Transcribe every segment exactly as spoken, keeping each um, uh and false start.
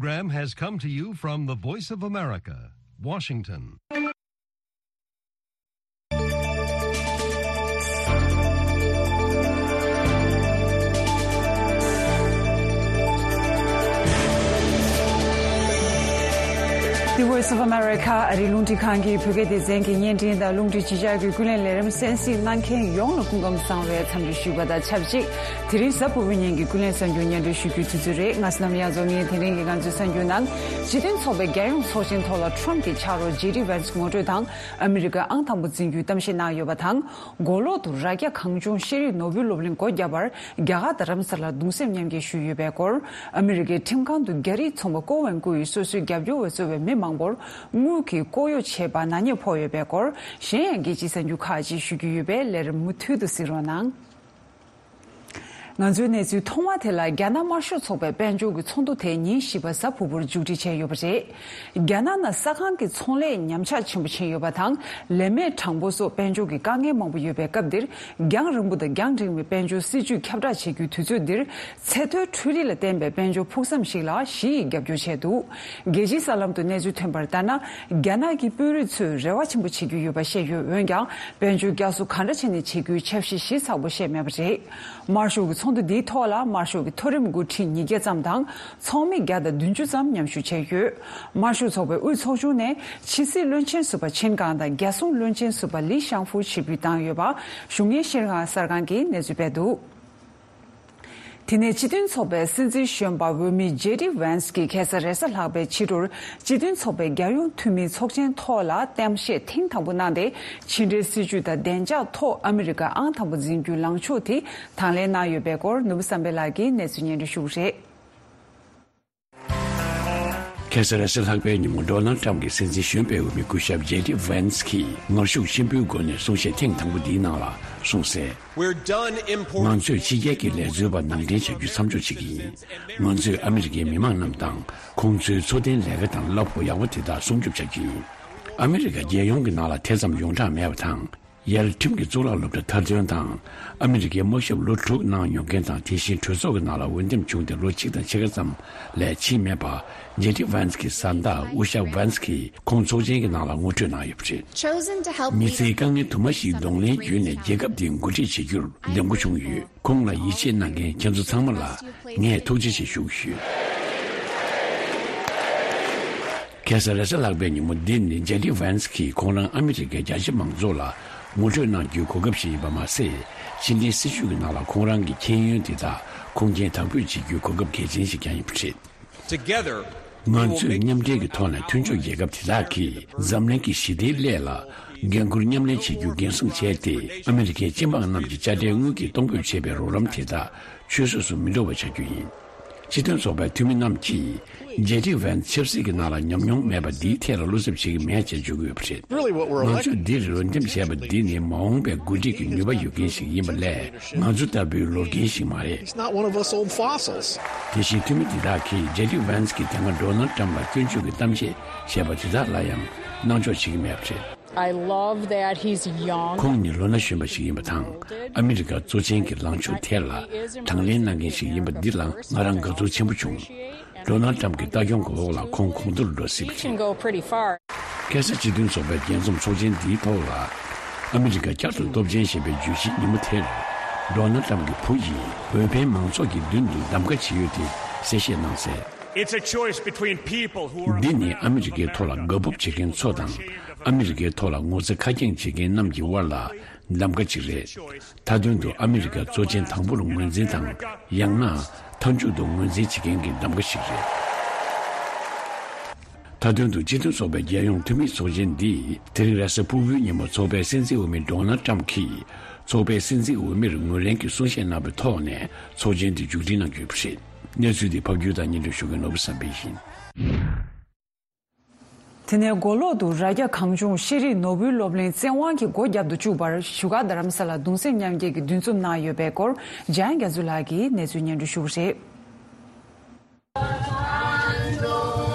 Program has come to you from the Voice of America, Washington. The Voice of America ཨ་རིའི་རླུང་འཕྲིན་ཁང་གི་བོད་སྐད་སྡེ་ཚན་གྱི་བརྙན་འཕྲིན་དང་རླུང་འཕྲིན་ཕྱི་དྲིལ་གྱི་ཀུན་གླེང་ལས་རིམ་གསན་གཟིགས་གནང་མཁན་ཡོངས་ལ་སྐུ་ཁམས་བཟང་བའི་འཚམས་འདྲི་ཞུས་པ་དང་ཆབས་ཅིག་དེ་རིང་གཟའ་ཕུར་བུའི་ཉིན་གྱི་ཀུན་གླེང་གསར་འགྱུར་སྙན་སྒྲོན་ཞུ་རྒྱུའི་དུས་ཚོད་རེད། ང་བསོད་ནམས་དབྱངས་འཛོམས་ཡིན། དེ་རིང་གི་ང་ཚོའི་གསར་འགྱུར་ནང་། སྤྱི་མཐུན་ཚོགས་པའི་རྒྱལ་ཡོངས་ཚོགས་ཆེན་ཐོག་ལ་ཁྲོམ་གྱི་ཕྱག་རོགས་ཇེ་ཌི་ཝན་སི་ངོ་སྤྲོད་དང་ཨ་མི་རི་ཀའི་ཨང་དང་པོ་འཛིན་རྒྱུའི་གཏམ་བཤད་གནང་ཡོད་པ་དང་། མགོ་ལོག་ཏུ་རྭ་རྒྱ་གངས་ལྗོངས་ཤེས་རིག་ནོར་བུའི་སློབ་གླིང་སྒོ་བརྒྱབ་པར་རྒྱ་གར་རྡ་རམ་ས་ལར་གདུང་སེམས་མཉམ་སྐྱེད་ཞུས་ཡོད་པའི་སྐོར། ཨ་མི་རི་ཀའི་ཁྲིམས་ཁང་དུ་རྒྱ་རིགས་ཚོང་པ་ཀོ་ཝན་ཀུ་ཡིས་སོ་སོའི་རྒྱབ་སྐྱོར་བ་གཙོས་པའི་མི་མང་པོར་དངུལ་གྱིས་ལྐོག་གཡོ་བྱས་པ་ནག་ཉེས་ཕོག་ཡོད་པའི་སྐོར། གཞན་ཡང་རྒྱལ་སྤྱིའི་གསར་འགྱུར་ཁག་ཅིག་ཞུ་རྒྱུ་ཡོད་པས་ལས་རིམ་མུ་མཐུད་དུ་གཟིགས་རོགས་གནང་། ང་ཚོའི་གནས་ཚུལ་ཐོག་མ་དེ་ལ་རྒྱ་ནག་དམར་ཤོག་ཚོགས་པའི་དཔལ་འབྱོར་གྱི་ཚོགས་འདུ་དེ་ཉིན་བཞི་པ་གཟའ་ཕུར་བུར་མཇུག་སྒྲིལ་བྱས་ཡོད་པ་རེད། རྒྱ་ནག་ནང་ས་ཁང་གི་ཚོང་ལས་ཉམས་ཆག་ཆེན་པོ་ཕྱིན་ཡོད་པ་དང་། ལས་མེད་གྲངས་འབོར་སོགས་དཔལ་འབྱོར་གྱི་དཀའ་ངལ་མང་པོ་ཡོད་པའི་སྐབས་འདིར། རྒྱང་རིང་པོ་དང་རྒྱང་འཕྲིན་མའི་དཔལ་འབྱོར་སྲིད་ཇུས་ཁྱབ་བསྒྲགས་བྱེད་རྒྱུའི་དུས་ཚོད་འདིར། ཚད་མཐོའི་འཕྲུལ་རིག་ལ་བརྟེན་པའི་དཔལ་འབྱོར་ཕུགས་བསམ་ཞིག་ལ་ཞི་ཡིས་རྒྱབ་སྐྱོར་བྱས་འདུག་རྒྱལ་སྤྱིའི་གསར་ལམ་དུ་གནས་ཚུལ་ཐོན་པར་ལྟར་ན། རྒྱ་ནག་གི་དཔོན་རིགས་ཚོས་རེ་བ་ཆེན་པོ་བྱེད་ཀྱི་ཡོད་པ་བཤད་ཡོད། འོན་ཀྱང་། དཔལ་འབྱོར་བསྐྱར་གསོ་ག་འདྲ་བྱས་ནས་བྱེད་རྒྱུའི་འཆར་གཞི་ཞིབ་ཚགས་པོ་བཤད་མེད་པ་རེད། དམར་ཤོག་གི་ཚོགས་འདུ་འདིའི་ཐོག་ལ་དམར་ཤོག་གི་མཐོ་རིམ་འགོ་ཁྲིད་ཉིས་བརྒྱ་ཙམ་དང་ཚོགས་མི་བརྒྱ་དང་བདུན་ཅུ་ཙམ་མཉམ་ཞུགས་བྱས་ཡོད། དམར་ཤོག་ཚོགས་པའི་དབུས་ཚོགས་ཆུང་ནས་ཕྱི་སྲིད་བློན་ཆེན་ཟུར་པ་ཆིན་ཀང་དང་རྒྱལ་སྲུང་བློན་ཆེན་ཟུར་པ་ལི་ཤང་ཧྥུ་ཕྱིར་འབུད་བཏང་ཡོད་པ་གཞུང་གཉེར་ཤེས་རིག་གསར་ཁང་གིས་གནས་ཚུལ་སྤེལ་འདུག་དེ་ནས་སྤྱི་མཐུན་ཚོགས་པའི་སྲིད་འཛིན་གཞོན་པ་འོས་མི་ཇེ་ཌི་ཝན་སི་གིས་ཁ་སང་རེས་གཟའ་ལྷག་པའི་ཕྱི་དྲོར་སྤྱི་མཐུན་ཚོགས་པའི་རྒྱལ་ཡོངས་འཐུས་མིའི་ཚོགས་ཆེན་ཐོག་ལ་གཏམ་བཤད་ཐེངས་དང་པོ་གནང་སྟེ། ཕྱི་འབྲེལ་སྲིད་ཇུས་དང་བདེ་འཇགས་ཐོག་ཨ་མི་རི་ཀ་ཨང་དང་པོ་འཛིན་རྒྱུའི་ལངས་ཕྱོགས་དེ་དང་ལེན་གནང་ཡོད་པའི་སྐོར། ནོར་བུ་བསམ་འཕེལ་ལགས་ཀྱིས་གནས་ཚུལ་སྙན་སྒྲོན་ཞུ་གི་རེད། ཁ་སང་རེས་གཟའ་ལྷག་པའི་ཉིན་མོ་ཌོ་ནལ་ཊམ་གྱི་སྲིད་འཛིན་གཞོན་པའི་འོས་མི་སྐུ་ཞབས་ཇེ་ཌི་ཝན་སི་གིས་ངར་ཤུགས་ཆེན་པོའི་སྒོ་ནས་གསུང་བཤད་ཐེངས་དང་པོ་འདིའི་ནང་ལ་གསུངས་གསལ། We're done importing ང་ཚོས་ཕྱི་རྒྱལ་གྱི་ལས་བཟོ་བ་ནང་འདྲེན་བྱ་རྒྱུ་མཚམས་འཇོག་བྱེད་ཀྱི་ཡིན། ང་ཚོས་ཨ་མི་རི་ཀའི་མི་མང་རྣམས་དང་ཁོང་ཚོའི་འཚོ་རྟེན་ལས་ཀ་དང་གླ་ཕོགས་ཡག་པོ་དེ་དག་སྲུང་སྐྱོབ་བྱ་རྒྱུ་ཡིན། ཨ་མི་རི་ཀ་རྒྱལ་ཡོངས་ཀྱི་ནང་ལ་དེ་ཙམ་ཡོངས་གྲགས་མེད་པ་དང་། ཡར་ཁྲིམས་ཀྱི་གཙུག་ལག་སློབ་གྲྭ་མཐར་འདོན་དང་། ཨ་མི་རི་ཀའི་དམག་ཞབས་ལོ་དྲུག་གནང་མྱོང་མཁན་དང་། དེ་བཞིན་གྲོས་ཚོགས་ཀྱི་ནང་ལ་འོས་འདེམས་བྱུང་སྟེ་ལོ་གཅིག་དང་ཕྱེད་ཀ་ཙམ་ལས་ཕྱིན་མེད་པ། ཇེ་ཌི་ཝན་སི་གི་བཟའ་ཟླ་ཨུ་ཤ་ཝན་སི་གིས་ཁོང་ཚོགས་ཆེན་གྱི་ནང་ལ་ངོ་སྤྲོད་གནང་ཡོད་པ་རེད། མི་ཚེའི་དཀའ་ངལ་དུ་མ་ཞིག་གདོང་ལེན་བརྒྱུད་ནས་རྒྱལ་ཁབ་འདི་འགོ་ཁྲིད་བྱེད་རྒྱུར་འདེམས་བསྐོ་བྱུང་ཡོད། ཁོང་ལ་ཡིད་ཆེས་གནང་མཁན་ཁྱེད་ཚོ་ཚང་མ་ལ་ངས་ཐུགས་རྗེ་ཆེ་ཞུ་གི་ཡོད། ཁ་སང་རེས་གཟའ་ལྷག་པའི་ཉིན་མོ་འདི་ནི་ཇེ་ཌི་ཝན་སི་གིས་ཁོང་རང་ཨ་མི་རི་ཀའི་རྒྱ་ཆེ་མང་ཚོགས་ལ་ངོ་སྤྲོད་གནང་རྒྱུའི་གོ་སྐབས་ཤིག་ཡིན་པ་མ་ཟད། ཕྱི་འབྲེལ་སྲིད་ཇུས་ཀྱི་ནང་ལ་ཁོང་རང་གི་མཁྱེན་ཡོན་དེ་དག་ཁུངས་སྐྱེལ་དག་པོས་བྱེད་རྒྱུའི་གོ་སྐབས་གལ་ཆེན་ཞིག་ཀྱང་ཡིན་པ་རེད། Together, ང་ཚོས་མཉམ་འབྲེལ་གྱི་ཐོག་ནས་མཐུན་ཕྱོགས་རྒྱལ་ཁབ་དེ་དག་གིས་འཛམ་གླིང་གི་ཞི་བདེའི་སླད་ལ་འགན་འཁུར་མཉམ་ལེན་བྱེད་རྒྱུ་འགན་སྲུང་བྱས་ཏེ། ཨ་མི་རི་ཀའི་སྤྱི་འབངས་རྣམས་ཀྱི་དཔྱ་ཁྲལ་དངུལ་གྱིས་གཏོང་ཕོད་བྱས་པའི་རོགས་རམ་དེ་དག་ཆུད་ཟོས་སུ་མི་འགྲོ་བ་བྱ་རྒྱུ་ཡིན། སྤྱི་མཐུན་ཚོགས་པའི་འཐུས་མི་རྣམས་ཀྱིས་ཇེ་ཌི་ཝན་ཆབ་སྲིད་ཀྱི་ནང་ལ་ཉམས་མྱོང་མེད་པ་འདིའི་ཐད་ལ་བློ་འཚབ་བྱེད་ཀྱི་མེད་ཅེས་བརྗོད་ཀྱི་ཡོད་པ་རེད། Really, what we're ང་ཚོས་འདིར་འོས་འདེམས་བྱས་པ་འདི་ནི་མ་འོངས་པའི་འགོ་ཁྲིད་ཀྱི་ནུས་པ་ཡོད་མཁན་ཞིག་ཡིན་པ་ལས། ང་ཚོ་ལྟ་བུའི་ལོ་རྒན་ཞིག་མ་རེད། He's not one of us old fossils. དེ་བཞིན་འཐུས་མི་འདི་དག་གིས་ཇེ་ཌི་ཝན་སི་གིས་དེ་སྔ་ཌོ་ནལ་ཊམ་ལ་སྐྱོན་བརྗོད་ཀྱི་གཏམ་བཤད་བྱས་པ་དེ་དག་ལ་ཡང་སྣང་འཇོག་བྱེད་ཀྱི་མེད་པ་རེད། I love that he's young. ཁོང་ནི་ལོ་ན་གཞོན་པ་ཞིག་ཡིན་པ་དང་། ཨ་མི་རི་ཀ་གཙོ་ཆེན་གྱི་ལངས་ཕྱོགས་ཐད་ལ་དང་ལེན་གནང་མཁན་ཞིག་ཡིན་པ་འདི་ལ་ང་རང་དགའ་ཚོར་ཆེན་པོ་བྱུང་། ཌོ་ནལ་ཊམ་གྱི་ལྟ་སྐྱོང་གི་འོག་ལ་ཁོང་གོང་མཐོར་འགྲོ་སྲིད་པ་He can རེད། Go pretty far. ཁ་སང་སྤྱི་མཐུན་ཚོགས་པའི་རྒྱས་འཛོམས་ཚོགས་ཆེན་འདིའི་ཐོག་ལ། ཨ་མི་རི་ཀ་བསྐྱར་དུ་སྟོབས་ཆེན་ཞེས་པའི་བརྗོད་གཞི་ཉིན་མོ་དེར། ཌོ་ནལ་ཊམ་གྱི་བུ་ཡིས་འོས་འཕེན་མང་ཚོགས་ཀྱི་མདུན་དུ་གདམ་ག་བྱས་ཡོད་དེ་གསལ་བཤད་གནང་གསལ། It's a choice between people who are འདི་ནི་ཨ་མི་རི་ཀའི་ཐོག་ལ་དགའ་སྤོབས་བྱེད་མཁན་ཚོ་དང་། ཨ་མི་རི་ཀའི་ཐོག་ལ་ངོ་ཚ་ཁ་སྐྱེངས་བྱེད་མཁན་རྣམས་ཀྱི་དབར་ལ་གདམ་ག་ཅིག་རེད། མཐའ་དོན་དུ་ཨ་མི་རི་ཀ་གཙོ་ཆེན་དང་པོར་ངོས་འཛིན་དང་། ཡང་ན་མཐའ་མཇུག་ཏུ་ངོས་འཛིན་བྱེད་མཁན་གྱི་གདམ་ག་ཞིག་རེད། མཐའ་དོན་དུ་སྤྱི་མཐུན་ཚོགས་པའི་རྒྱལ་ཡོངས་འཐུས་མིའི་ཚོགས་ཆེན་འདིས་དེ་རིང་རེས་གཟའ་ཕུར་བུའི་ཉིན་མོ་ཚོགས་པའི་སྲིད་འཛིན་འོས་མི་ཌོ་ནལ་ཊམ་གྱིས་ཚོགས་པའི་སྲིད་འཛིན་འོས་མིར་ངོས་ལེན་གྱི་གསུང་བཤད་གནང་བའི་ཐོག་ནས་ཚོགས་ཆེན་འདི་མཇུག་སྒྲིལ་གནང་རྒྱུ་ཡིན་པ་རེད། གནས་ཚུལ་འདི་ཕབ་སྒྱུར་དང་སྙན་སྒྲོན་ཞུ་མཁན་ནོར་བུ་བསམ་འཕེལ་ཡིན། དེ་ནས་མགོ་ལོག་ཏུ་རྭ་རྒྱ་གངས་ལྗོངས་ཤེས་རིག་ནོར་བུའི་སློབ་གླིང་བཙན་དབང་གིས་སྒོ་བརྒྱབ་ཏུ་བཅུག་པར་བཞུགས་སྒར་རྡ་རམ་ས་ལར་གདུང་སེམས་མཉམ་སྐྱེད་ཀྱི་འདུ་འཛོམས་གནང་ཡོད་པའི་སྐོར་འཇམ་དབྱངས་རྒྱ་མཚོ་ལགས་ཀྱིས་གནས་ཚུལ་སྙན་སྒྲོན་ཞུ་གི་རེད།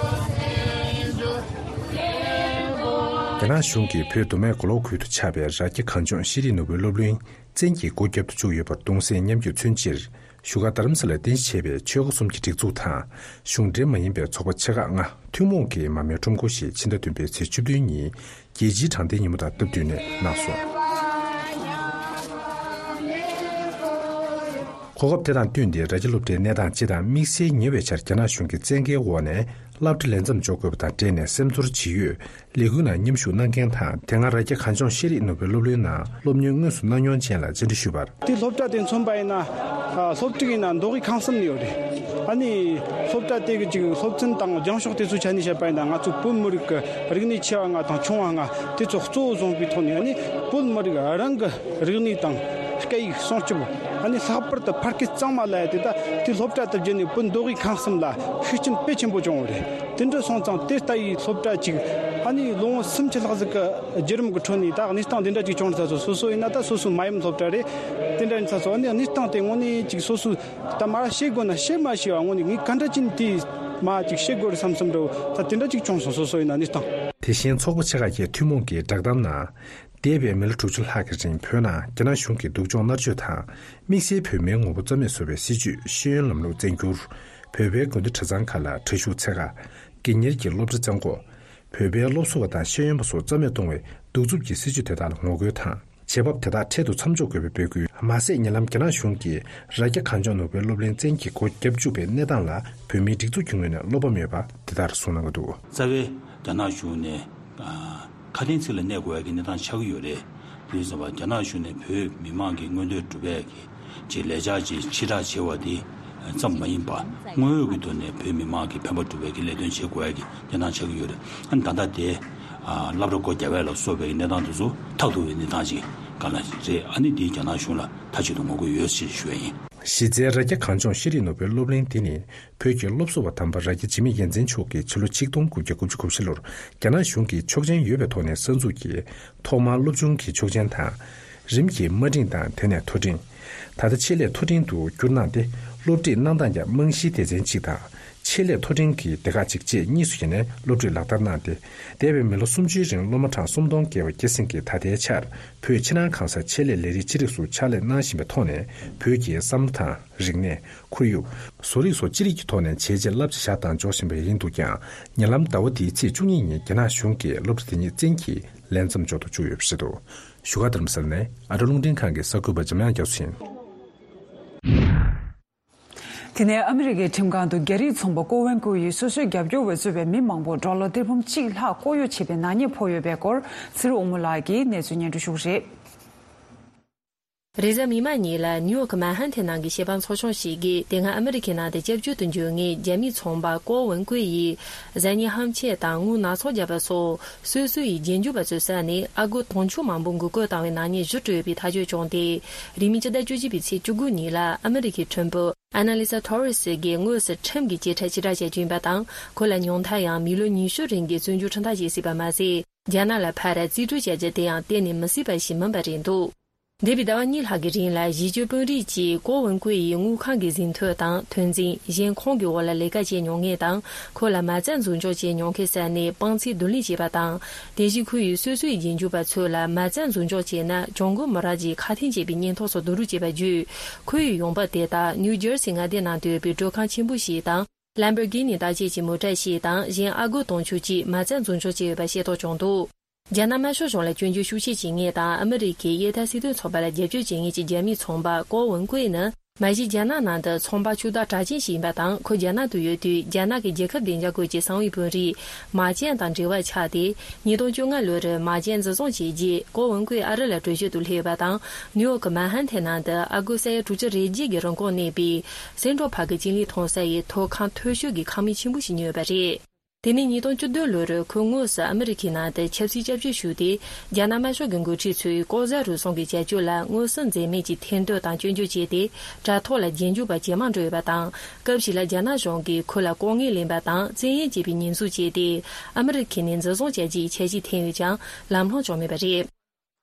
རྒྱ་ནག་གཞུང་གིས་བོད་མདོ་སྨད་མགོ་ལོག་ཁུལ་དུ་ཆགས་པའི་རྭ་རྒྱ་གངས་ལྗོངས་ཤེས་རིག་ནོར་བུའི་སློབ་གླིང་བཙན་གྱིས་སྒོ་བརྒྱབ་ཏུ་བཅུག་ཡོད་པར་གདུང་སེམས་མཉམ་སྐྱེད་མཚོན་ཕྱིར། བཞུགས་སྒར་རྡ་རམ་ས་ལར་རྟེན་གཞི་བྱས་པའི་ཆོལ་ཁ་གསུམ་གྱི་སྒྲིག་འཛུགས་དང་། གཞུང་འབྲེལ་མ་ཡིན་པའི་ཚོགས་པ་ཆེ་ཁག་ལྔ་ཐུན་མོང་གིས་མར་མེའི་ཁྲོམ་སྐོར་ཞེས་ཕྱི་ཟླ་བདུན་པའི་ཚེས་བཅུ་བདུན་ཉིན་རྒྱལ་སྤྱིའི་དྲང་བདེན་ཉིན་མོ་དང་སྟབས་བསྟུན་ནས་གནང་སོང་། གོ་སྐབས་དེ་དང་བསྟུན་ཏེ་རྭ་རྒྱ་སློབ་གྲྭའི་གནས་སྟངས་སྤྱི་དང་དམིགས་བསལ་ཉེ་བའི་ཆར་རྒྱ་ནག་གཞུང་གི་བཙན་འགེལ་འོག་ནས་སློབ་གྲྭ་ལས་མཚམས་འཇོག་དགོས་པ་དང་འབྲེལ་ནས་སེམས་ཚོར་ཇི་ཡོད། ལས་འགུལ་ནང་མཉམ་ཞུགས་གནང་མཁན་དང་དེ་སྔ་རྭ་རྒྱ་གངས་ལྗོངས་ཤེས་རིག་ནོར་བུའི་སློབ་གླིང་ནང་སློབ་གཉེར་དངོས་སུ་གནང་མྱོང་ཅན་ལ་བཅར་འདྲི་ཞུས་པར། དེ་སློབ་གྲྭ་དེ་མཚོན་པ་ཡིན་ན། ཨ། སློབ་ཕྲུག་ཡིན་ན་མདོ་དབུས་ཁམས་གསུམ་ནས་ཡོད་རེད། ཨ་ནི་སློབ་གྲྭ་དེ་གི་ཅིག་སློབ་ཚན་དང་སྦྱང་ཕྱོགས་དེ་ཚོའི་ཆ་ནས་བཤད་པ་ཡིན་ན། ང་ཚོ་བོད་མི་རིགས་ཀྱི་རིག་གནས་ཆེ་བ་ལྔ་དང་ཆུང་བ་ལྔ་དེ་ཚོ་གཙོ་བོ་བཟུང་བའི་ཐོག་ནས། ཨ་ནི་བོད་མི་རིགས་རང་གི་རིག་གནས་དང་སྐད་ཡིག་སྲུང་སྐྱོབ། ཨ་ནི་ལྷག་པར་དུ་ཕ་སྐད་གཙང་མ་ལབ་ཡ་དེ། ད་དེ་སློབ་གྲྭ་དེ་བརྒྱུད་ནས་བོད་མདོ་དབུས་ཁམས་གསུམ་ལ་ཤུགས་རྐྱེན་དཔེ་ཆེན་པོ་བྱུང་བ་རེད། དེ་འདྲ་སོང་ཙང་དེ་ལྟ་བུའི་སློབ་གྲྭ་ཅིག་ཨ་ནི་ལོ་ངོ་སུམ་ཅུ་ལྷག་ཟིག་གི་བརྒྱུད་རིམ་གྱི་ཁྲོད་ནས་ད་གནས་སྟངས་དེ་འདྲ་ཅིག་བྱུང་ཚར་སོང་། སོ་སོ་ཡིན་ན་ད་སོ་སོའི་མ་ཡུམ་སློབ་གྲྭ་རེད། དེ་འདྲ་ཡིན་ཚར་སོང་། ཨ་ནི་གནས་སྟངས་དེ་དངོས་གནས་ཅིག་སོ་སོས་ད་མར་ཤེས་དགོས་ན་ཤེས་མ་ཤེས་པ་དངོས་གནས་ངས་ག་འདྲ་ཅིག་དེ་མར་ཅིག་ཤེས་དགོས་རེད་བསམ་བསམ་འདྲ་བོ་ད་དེ་འདྲ་ཅིག་བྱུང་སོང་། སོ་སོ་ཡིན་ན་གནས་སྟངས། དེ་བཞིན་ཚོགས་པ་ཆེ་ཁག་གིས་ཐུན་མོང་གི་བསྒྲགས་གཏམ་ནང་། འདས་པའི་མི་ལོ་དྲུག་ཅུ་ལྷག་གི་རིང་བོད་ནང་རྒྱ་ནག་གཞུང་གི་སྡུག་སྦྱོང་མནར་གཅོད་དང་། དམིགས་བསལ་བོད་མིའི་ངོ་བོ་རྩ་མེད་བཟོ་བའི་སྲིད་བྱུས་ཤེས་ཡོན་ལམ་ལུགས་བཙན་སྒྱུར། བོད་པའི་དགོན་སྡེ་གྲྭ་ཚང་ཁག་ལ་གྲྭ་ཤུགས་ཚད་བཀག་དགེ་གཉེར་གྱི་སློབ་གྲྭ་བཙན་འགོག་བོད་པའི་སློབ་གསོ་བ་དང་ཤེས་ཡོན་པ་སོགས་རྩ་མེད་གཏོང་བའི་གདུག་རྩུབ་ཀྱི་སྲིད་བྱུས་དེ་དག་ལ་ངོ་རྒོལ་དང་། བྱེད་བབ་དེ་དག་འཕྲལ་དུ་མཚམས་འཇོག་དགོས་པའི་འབོད་སྐུལ། མ་ཟད་ཉེ་ལམ་རྒྱ་ནག་གཞུང་གིས་རྭ་རྒྱ་གངས་ལྗོངས་ནོར་བུའི་སློབ་གླིང་བཙན་གྱིས་སྒོ་བརྒྱབ་བཅུག་པའི་གནས་སྟངས་ལ་བོད་མིའི་སྒྲིག་འཛུགས་ཀྱི་ངོས་ནས་བློ་ཕམ་ཡོད་པ་དེ་ལྟར་གསུངས་གནང་གི་འདུག། རྩ་བའི་རྒྱ་ནག་གཞུང་ནས་ཁ་དན་ཚིག་ལ་གནས་དགོས་ཡ་གི་གནས་སྟངས་ཆགས་ཀྱི་ཡོད་རེད། དེ་ཡིན་ཙང་རྒྱ་ནག་གཞུང་ནས་བོད་མི་མང་གི་མངོན་འདོད་སྒྲུབ་ཡ་གི་ཅིག་ལས་འཆར་ཅིག་ཕྱིར་བསྒྲགས་བྱས་པ་དེ་ཙམ་མ་ཡིན་པ། དངོས་ཡོད་ཀྱི་ཐོག་ནས་བོད་མི་མང་གི་ཕན་པ་སྒྲུབ་པའི་གི་ལས་དོན་བྱེད་དགོས་ཡ་གི་གནས་སྟངས་ཆགས་ཀྱི་ཡོད་རེད། ཨ་ནི་ད་ལྟ་དེ་ཨ་སློབ་གྲྭ་སྒོ་བརྒྱབ་པ་ལ་སོགས་པའི་གནས་སྟངས་དེ་ཚོ་ཐབས་སྡུག་པའི་གནས་སྟངས་ཅིག་ག་ལ་རེད། ཨ་ནི་དེའི་རྒྱ་ནག་གཞུང་ལ་མཐའ་གཅིག་ཏུ་ངོ་རྒོལ་ཡོད་ཅེས་ཞུ་ཡ་ཡིན། གཞི་རྩའི་རྭ་རྒྱ་གངས་ལྗོངས་ཤེས་རིག་ནོར་བུའི་སློབ་གླིང་འདི་ནི་བོད་ཀྱི་སློབ་གསོ་བ་དམ་པ་རྭ་རྒྱ་འཇིགས་མེད་རྒྱལ་མཚན་མཆོག་གིས་ཕྱི་ལོ་ཆིག་སྟོང་དགུ་བརྒྱ་དགུ་བཅུ་གོ་བཞི་ལོར་རྒྱ་ནག་གཞུང་གིས་ཆོག་མཆན་ཡོད་པའི་ཐོག་ནས་གསར་འཛུགས་ཀྱིས། ཐོག་མར་སློབ་ཆུང་གི་ཆོག་མཆན་དང་། རིམ་གྱིས་དམའ་འབྲིང་དང་དེ་ནས་མཐོ་འབྲིང་། ད་ལྟ་ཆེད་ལས་མཐོ་འབྲིང་དུ་བསྒྱུར་གནང་སྟེ། སློབ་ཁྲིད་གནང་སྟངས་ཀྱང་རྨང་གཞིའི་སྡེ་ཚན་གཅིག་དང་། ཆེད་ལས་མཐོ་འབྲིང་གི་སྡེ་ཁག་གཅིག་བཅས་གཉིས་སུ་ཕྱེ་ནས་སློབ་ཁྲིད་ལག་བསྟར་གནང་སྟེ། འདས་པའི་མི་ལོ་སུམ་ཅུའི་རིང་སློབ་མ་གྲངས་སུམ་སྟོང་བརྒལ་བ་སྐྱེད་སྲིང་གིས་ད་ལྟའི་ཆར་བོད་ཕྱི་ནང་གང་སར་ཆེད་ལས་ལས་རིགས་ཅི་རིགས་སུ་ཕྱག་ལས་གནང་བཞིན་པའི་ཐོག་ནས། བོད་ཀྱི་བསམ་བློ་དང་། རིག་གནས། ཁོར་ཡུག་བཟོ་རིག་སོགས་ཅི་རིགས་ཀྱི་ཐོག་ནས་བྱས་རྗེས་རླབས་ཆེ་བཞག་དང་འཇོག་བཞིན་པ་ཡིན་འདུག་ཀྱང་། ཉེ་ལམ་ཟླ་བ་འདིའི་ཚེས་བཅུ་གཉིས་ཉིན་རྒྱ་ནག་གཞུང་གིས་སློབ་གྲྭ་དེ་ཉིད་བཙན་གྱིས་ལས་མཚམས་འཇོག་ཏུ་བཅུག་ཡོད་པ་རེད་འདུག། བཞུགས་སྒར་རྡ་རམ་ས་ལ་ནས་ཨ་རོ་རླུང་འཕྲིན་ཁང་གི་གསར་འགོད་པ་འཇམ་དབྱངས་རྒྱ་མཚོ་ཡིན། དེ་ནས་ཨ་མི་རི་ཀའི་ཁྲིམས་ཁང་དུ་རྒྱ་རིགས་ཚོང་པ་ཀོ་ཝན་ཀུའི་ཡི་སོ་སོའི་རྒྱབ་སྐྱོར་བས་གཙོས་པའི་མི་མང་པོ་ཌོ་ལར་ཏེར་འབུམ་གཅིག་ལྷག་ལྐོག་གཡོ་བྱས་པའི་ནག་ཉེས་ཕོག་ཡོད་པའི་སྐོར་ཚེ་རིང་དབང་མོ་ལགས་ཀྱིས་གནས་ཚུལ་སྙན་སྒྲོན་ཞུ་གི་རེད། རེས་གཟའ་མིག་དམར་ཉིན་ལ་ནིའུ་ཡོག་གི་མན་ཧན་ཐན་ནང་གི་ཤེས་པ་ཚོགས་ཆུང་ཞིག་གིས་དེ་སྔ་ཨ་མི་རི་ཁའི་ནང་དུ་སྐྱབས་བཅོལ་དུ་འབྱོར་མཁན་རྒྱ་མིའི་ཚོང་པ་ཀོ་ཝུན་ཀུའེ་ཡིས་གཟའ་ཉི་ཧམ་ཆས་དང་དངུལ་སྣ་ཚོགས་བརྒྱབ་པ་སོགས་སོ་སོ་ཡི་རྗེས་འཇུག་པ་ཚོའི་ས་ནས་ཨ་སྒོར་དུང་ཕྱུར་མང་པོ་འགུག་བཀོད་བཏང་བའི་ནག་ཉེས་ཞུ་སྤྲོད་པའི་ཐག་གཅོད་བྱུང་སྟེ། རིང་མིན་སྤྱི་ཟླ་བཅུ་གཅིག་པའི་ཚེས་བཅུ་དགུ་ཉིན་ལ་ཨ་མི་རི་ཁའི་ཁྲིམས་དཔོན་ཨ་ན་ལི་ས་ཐོ་རེ་སི་གིས་དངོས་སུ་ཁྲིམས་ཀྱི་ཀྱི་ཁྲ་ཕྱིར་བསྒྲགས་བྱས་ཡོད་པ་དང་། ཁོ་ལ་ཉུང་མཐར་ཡང་མི་ལོ་ཉི་ཤུ་རིང་གི་བཙོན་འཇུག་ཁྲིམས་ཐག་བཅད་སྲིད་པ་མ་ཟད། རྒྱ་ནག་ལ་ཕར་རྩིས་སྤྲོད་བྱ་རྒྱུ་དེ་ཡང་གཏན་ནས་མི་སྲིད་པ་ཞིག་མིན་པ་རེད་འདུག། འདས་པའི་ཟླ་བ་གཉིས་ལྷག་གི་རིང་ལ་གཞིས་སྤྱོད་དཔོན་རིགས་ཀྱིས་ཀོ་ཝུན་ཀུའེ་ཡི་དངུལ་ཁང་གི་ཟིན་ཐོ་དང་ཐོན་རྫས་གཞན་ཁོང་གི་འོག་ལ་ལས་ཀ་བྱེད་མྱོང་མཁན་དང་། ཁོ་ལ་མ་རྩ་འཛུགས་འཇོག་བྱེད་མྱོང་མཁན་ས་ནས་དཔང་ཚད་བསྡུ་ལེན་བྱས་པ་དང་། དེ་བཞིན་ཁོ་ཡིས་སོ་སོའི་རྗེས་འཇུག་པ་ཚོ་ལ་མ་རྩ་འཛུགས་འཇོག་བྱས་ན་གྱོང་གུན་མི་རག་ཅེས་ཁ་འཐེན་བྱས་པའི་སྙན་ཐོ་སོགས་བསྡུ་རུབ་བྱས་པ་བརྒྱུད། ཁོ་ཡི་ཡོང་འབབ་དེ་དག་ནིའུ་ཇར་སི་མངའ་སྡེ་ནང་དུ་ཡོད་པའི་མགྲོན་ཁང་ཆེན་པོ་ཞིག་དང་། ལམ་བོར་གྷི་ནི་བརྟག་དཔྱད་ཀྱི་མོ་ཊ་ཞིག་དང་གཞན་ཨ་སྒོར་དུང་ཕྱུར་གཅིག་མ་རྩ་འཛུགས་འཇོག་བྱས་ཡོད་པ་ཤེས་རྟོགས་བྱུང་འདུག། རྒྱ་ནག་དམར་ཤོག་གཞུང་ལ་སྐྱོན་བརྗོད་ཤུགས་ཆེ་བྱེད་མཁན་དང་ཨ་མི་རི་ཁའི་གཡས་ཐལ་སྲིད་དོན་ཚོགས་པ་ལ་རྒྱབ་སྐྱོར་བྱེད་མཁན་གྱི་རྒྱ་མིའི་ཚོང་པ་ཀོ་ཝུན་ཀུའེ་ནི། མ་གཞི་རྒྱ་ནག་ནང་དུ་ཚོང་པ་ཕྱུག་བདག་གྲགས་ཅན་ཞིག་ཡིན་པ་དང་། ཁོ་རྒྱ་ནག་ཏུ་ཡོད་དུས་རྒྱ་ནག་གི་རྒྱལ་ཁབ་བདེ་འཇགས་སྐོར་གྱི་གསང་བའི་དཔོན་རིགས་མཱ་ཅན་དང་འབྲེལ་བ་ཆགས་ཏེ། ཉིས་སྟོང་བཅོ་ལྔ་ལོར་མཱ་ཅན་འཛིན་བཟུང་བྱས་རྗེས་ཀོ་ཝུན་ཀུའེ་ཨ་རི་ལ་བྲོས་བྱོལ་དུ་སླེབས་ཡོད་པ་དང་། ནིའུ་ཡོག་གི་མན་ཧན་ཐན་ནང་དུ་ཨ་སྒོར་ས་ཡ་དྲུག་ཅུ་རེ་བརྒྱད་ཀྱི་རིན་གོང་གནས་པའི་སེན་ཊྲལ་པཱརྐ་གི་ཅིན་ལི་མཐོང་ས་ཡི་ཐོག་ཁང་མཐོ་ཤོས་ཀྱི་ཁང་མིག་ཆེན་པོ་ཞིག་ཉོས་ཡོད་པ་རེད། དེ་ནས་ཉིས་སྟོང་བཅུ་བདུན་ལོར་ཁོས་དངོས་སུ་ཨ་མི་རི་ཁའི་ནང་དུ་ཆབ་སྲིད་སྐྱབས་བཅོལ་ཞུས་ཏེ། རྒྱ་ནག་དམར་ཤོག་གི་འགོ་ཁྲིད་ཚོས་ལྐོག་ཟ་རུལ་སུངས་ཀྱི་བྱ་སྤྱོད་ལ་མངོན་གསལ་འཛེམ་མེད་ཀྱིས་ཐེར་འདོན་དང་སྐྱོན་བརྗོད་བྱས་ཏེ། དྲ་ཐོག་ལ་རྗེས་འཇུག་པ་ཇེ་མང་འགྲོ་ཡོད་པ་དང་། སྐབས་ཤིག་ལ་རྒྱ་ནག་གཞུང་གིས་ཁོ་ལ་ལྐོག་རྔན་ལེན་པ་དང་བཙན་གཡེམ་བྱས་པའི་ཉེས་འཛུགས་བྱས་ཏེ། ཨ་མི་རི་ཁ་ནས་འཛིན་བཟུང་བྱ་རྒྱུའི་འཆར་གཞི་འཐེན་ཡོད་ཀྱང་ལམ་ལྷོང་བྱུང་མེད་པ་རེད།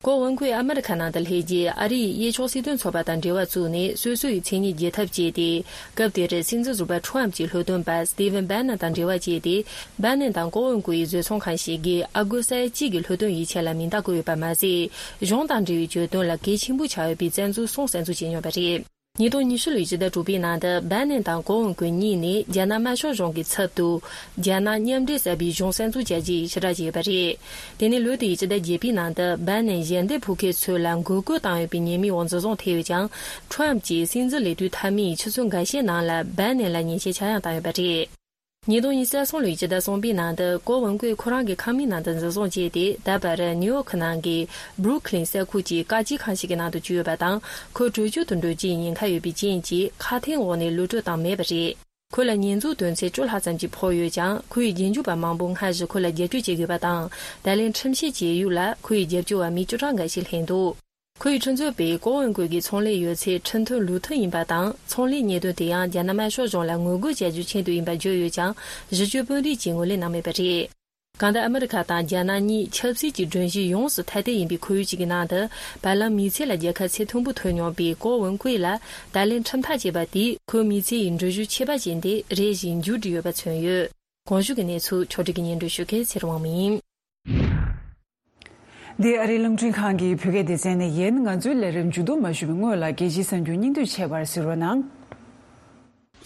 ཀོ་ཝུན་ཀུའེ་ཨ་མི་རི་ཁ་ནང་དུ་སླེབས་རྗེས་ཨ་རིའི་གཡས་ཕྱོགས་སྲིད་དོན་ཚོགས་པ་དང་འབྲེལ་བ་བཙུགས་ནས་སོ་སོ་ཡི་མཚན་སྙན་རྒྱས་ཐབས་བྱས་ཏེ། སྐབས་དེར་སྲིད་འཛིན་ཟུར་པ་ཁྲོམ་གྱི་ལྷོ་སྟོན་པ་སི་ཏི་ཝན་བྷེ་ནན་དང་འབྲེལ་བ་བྱས་ཏེ། བྷེ་ནན་དང་ཀོ་ཝུན་ཀུའེ་ཡི་བཟོ་ཚོང་ཁང་ཞིག་གིས་ཨ་སྒོར་ས་ཡ་གཅིག་གི་ལྷོ་སྟོན་ཡིག་ཆ་ལ་མིང་རྟགས་བཀོད་ཡོད་པ་མ་ཟད། གཞུང་དང་འབྲེལ་བའི་གྱོད་དོན་ལ་གལ་ཆེན་པོ་ཆགས་ཡོད་པའི་བཙན་འཛུལ་སོང་གསར་འཛུགས་བྱས་མྱོང་བ་རེད། ཉིས་སྟོང་ཉི་ཤུ་ལོའི་ཕྱི་ཟླ་དྲུག་པའི་ནང་དུ་བྷའི་ནན་དང་ཀོ་ཝོན་ཀུའེ་གཉིས་ནས་རྒྱ་ནག་དམར་ཤོག་གཞུང་གི་ཚབ་ཏུ་རྒྱ་ནག་མཉམ་འབྲེལ་གསར་པའི་གཞུང་གསར་འཛུགས་བྱ་རྒྱུའི་ཕྱིར་བསྒྲགས་བྱས་ཡོད་པ་རེད། དེ་ནས་ལོ་དེའི་ཕྱི་ཟླ་བརྒྱད་པའི་ནང་དུ་བྷའི་ནན་ཞལ་འདེབས་ཕུལ་མཁན་ཚོ་ལ་འགོག་རྒོལ་བཏང་ཡོད་པའི་ཉེས་མིང་འོག་འཛིན་བཟུང་ཐེབས་ཡོད་ཀྱང་། ཁྲོམ་གྱིས་སྲིད་འཛིན་ལས་དུས་མཐའ་མའི་ཆུ་ཚོད་འགའ་ཤས་ནང་ལ་བྷའི་ནན་ལ་ཉེས་ཆད་ཆག་ཡང་བཏང་ཡོད་པ་རེད། ཉིས་སྟོང་ཉི་ཤུ་རྩ་གསུམ་ལོའི་ཕྱི་ཟླ་གསུམ་པའི་ནང་དུ་ཀོ་ཝོན་ཀུའེ་ཁོ་རང་གི་ཁང་མིག་ནང་དུ་འཛིན་བཟུང་བྱས་ཏེ། ད་བར་ནིའུ་ཡོག་ནང་གི་བྷུ་རུག་ལིན་ས་ཁུལ་གྱི་བཀག་སྐྱིལ་ཁང་ཞིག་གི་ནང་དུ་བཅུག་ཡོད་པ་དང་། ཁོ་བྲོས་བྱོལ་དུ་འགྲོ་རྒྱུའི་ཉེན་ཁ་ཡོད་པའི་རྐྱེན་གྱིས་ཁ་འཐོར་འོག་ནས་གློད་བཀྲོལ་བཏང་མེད་པ་རེད། ཁོ་ལ་ཉེས་འཛུགས་དོན་ཚན་བཅུ་ལྷག་ཙམ་གྱི་ཕོག་ཡོད་ཀྱང་། ཁོའི་རྗེས་འཇུག་པ་མང་པོ་སྔ་གཞུག་ཁོ་ལ་རྒྱབ་སྐྱོར་བྱེད་དགོས་པ་དང་། ད་ལན་ཁྲིམས་བཤེར་བྱེད་ཡུལ་ལ་ཁོའི་རྒྱབ་སྐྱོར་བ་མི་བཅུ་གྲངས་འགའ་ཞིག་ལྷན་འདུག་ཁོའི་ཁྲིམས་རྩོད་པས་ཀོ་ཝོན་ཀུའེ་གི་ཚོང་ལས་ཡོད་ཚད་ཁྲིམས་མཐུན་ལུགས་མཐུན་ཡིན་པ་དང་། ཚོང་ལས་གཉེར་དོན་དེ་ཡང་རྒྱ་ནག་དམར་ཤོག་གཞུང་ལ་ངོ་རྒོལ་བྱ་རྒྱུའི་ཆེད་དུ་ཡིན་པ་བརྗོད་ཡོད་ཀྱང་། གཞི་བཅོལ་དཔོན་རིགས་ཀྱིས་ངོས་ལེན་གནང་མེད་པ་རེད། གང་ལྟར་ཨ་མི་རི་ཀ་དང་རྒྱ་ནག་གཉིས་ཆབ་སྲིད་ཀྱི་སྒྲོམ་གཞི་ཡོངས་སུ་ཐ་དད་ཡིན་པའི་ཁོར་ཡུག་ཅིག་གི་ནང་དུ། བར་ལམ་མི་ཚེ་ལ་རྒྱལ་ཁ་ཚད་མཐོན་པོ་ཐོབ་མྱོང་བའི་ཀོ་ཝོན་ཀུའེ་ལ་ད་ལན་ཁྲིམས་ཐག་བཅད་པ་དེས་ཁོའི་མི་ཚེ་ཡི་འགྲུལ་བཞུད་ཆེ་བ་ཅན་དེ་རེ་ཞིག་མཇུག་བསྒྲིལ་ཡོད་པ་མཚོན་ཡོད། གོང་ཞུས་ཀྱི་གནས་ཚུལ་ཕྱོགས་སྒྲིག་གིས་སྙན་སྒྲོན་ཞུ་མཁན་ཚེ་རིང་དབང་མོ་ཡིན། འདི་ཨ་རིའི་རླུང་འཕྲིན་ཁང་གི་བོད་སྐད་སྡེ་ཚན་ནས་ཡིན། ང་ཚོའི་ལས་རིམ་མཇུག་བསྡོམས་མ་ཞུ་བའི་སྔོན་ལ། རྒྱལ་སྤྱིའི་གསར་འགྱུར་སྙིང་བསྡུས་ཆེད་པར་གཟིགས་རོགས་གནང་།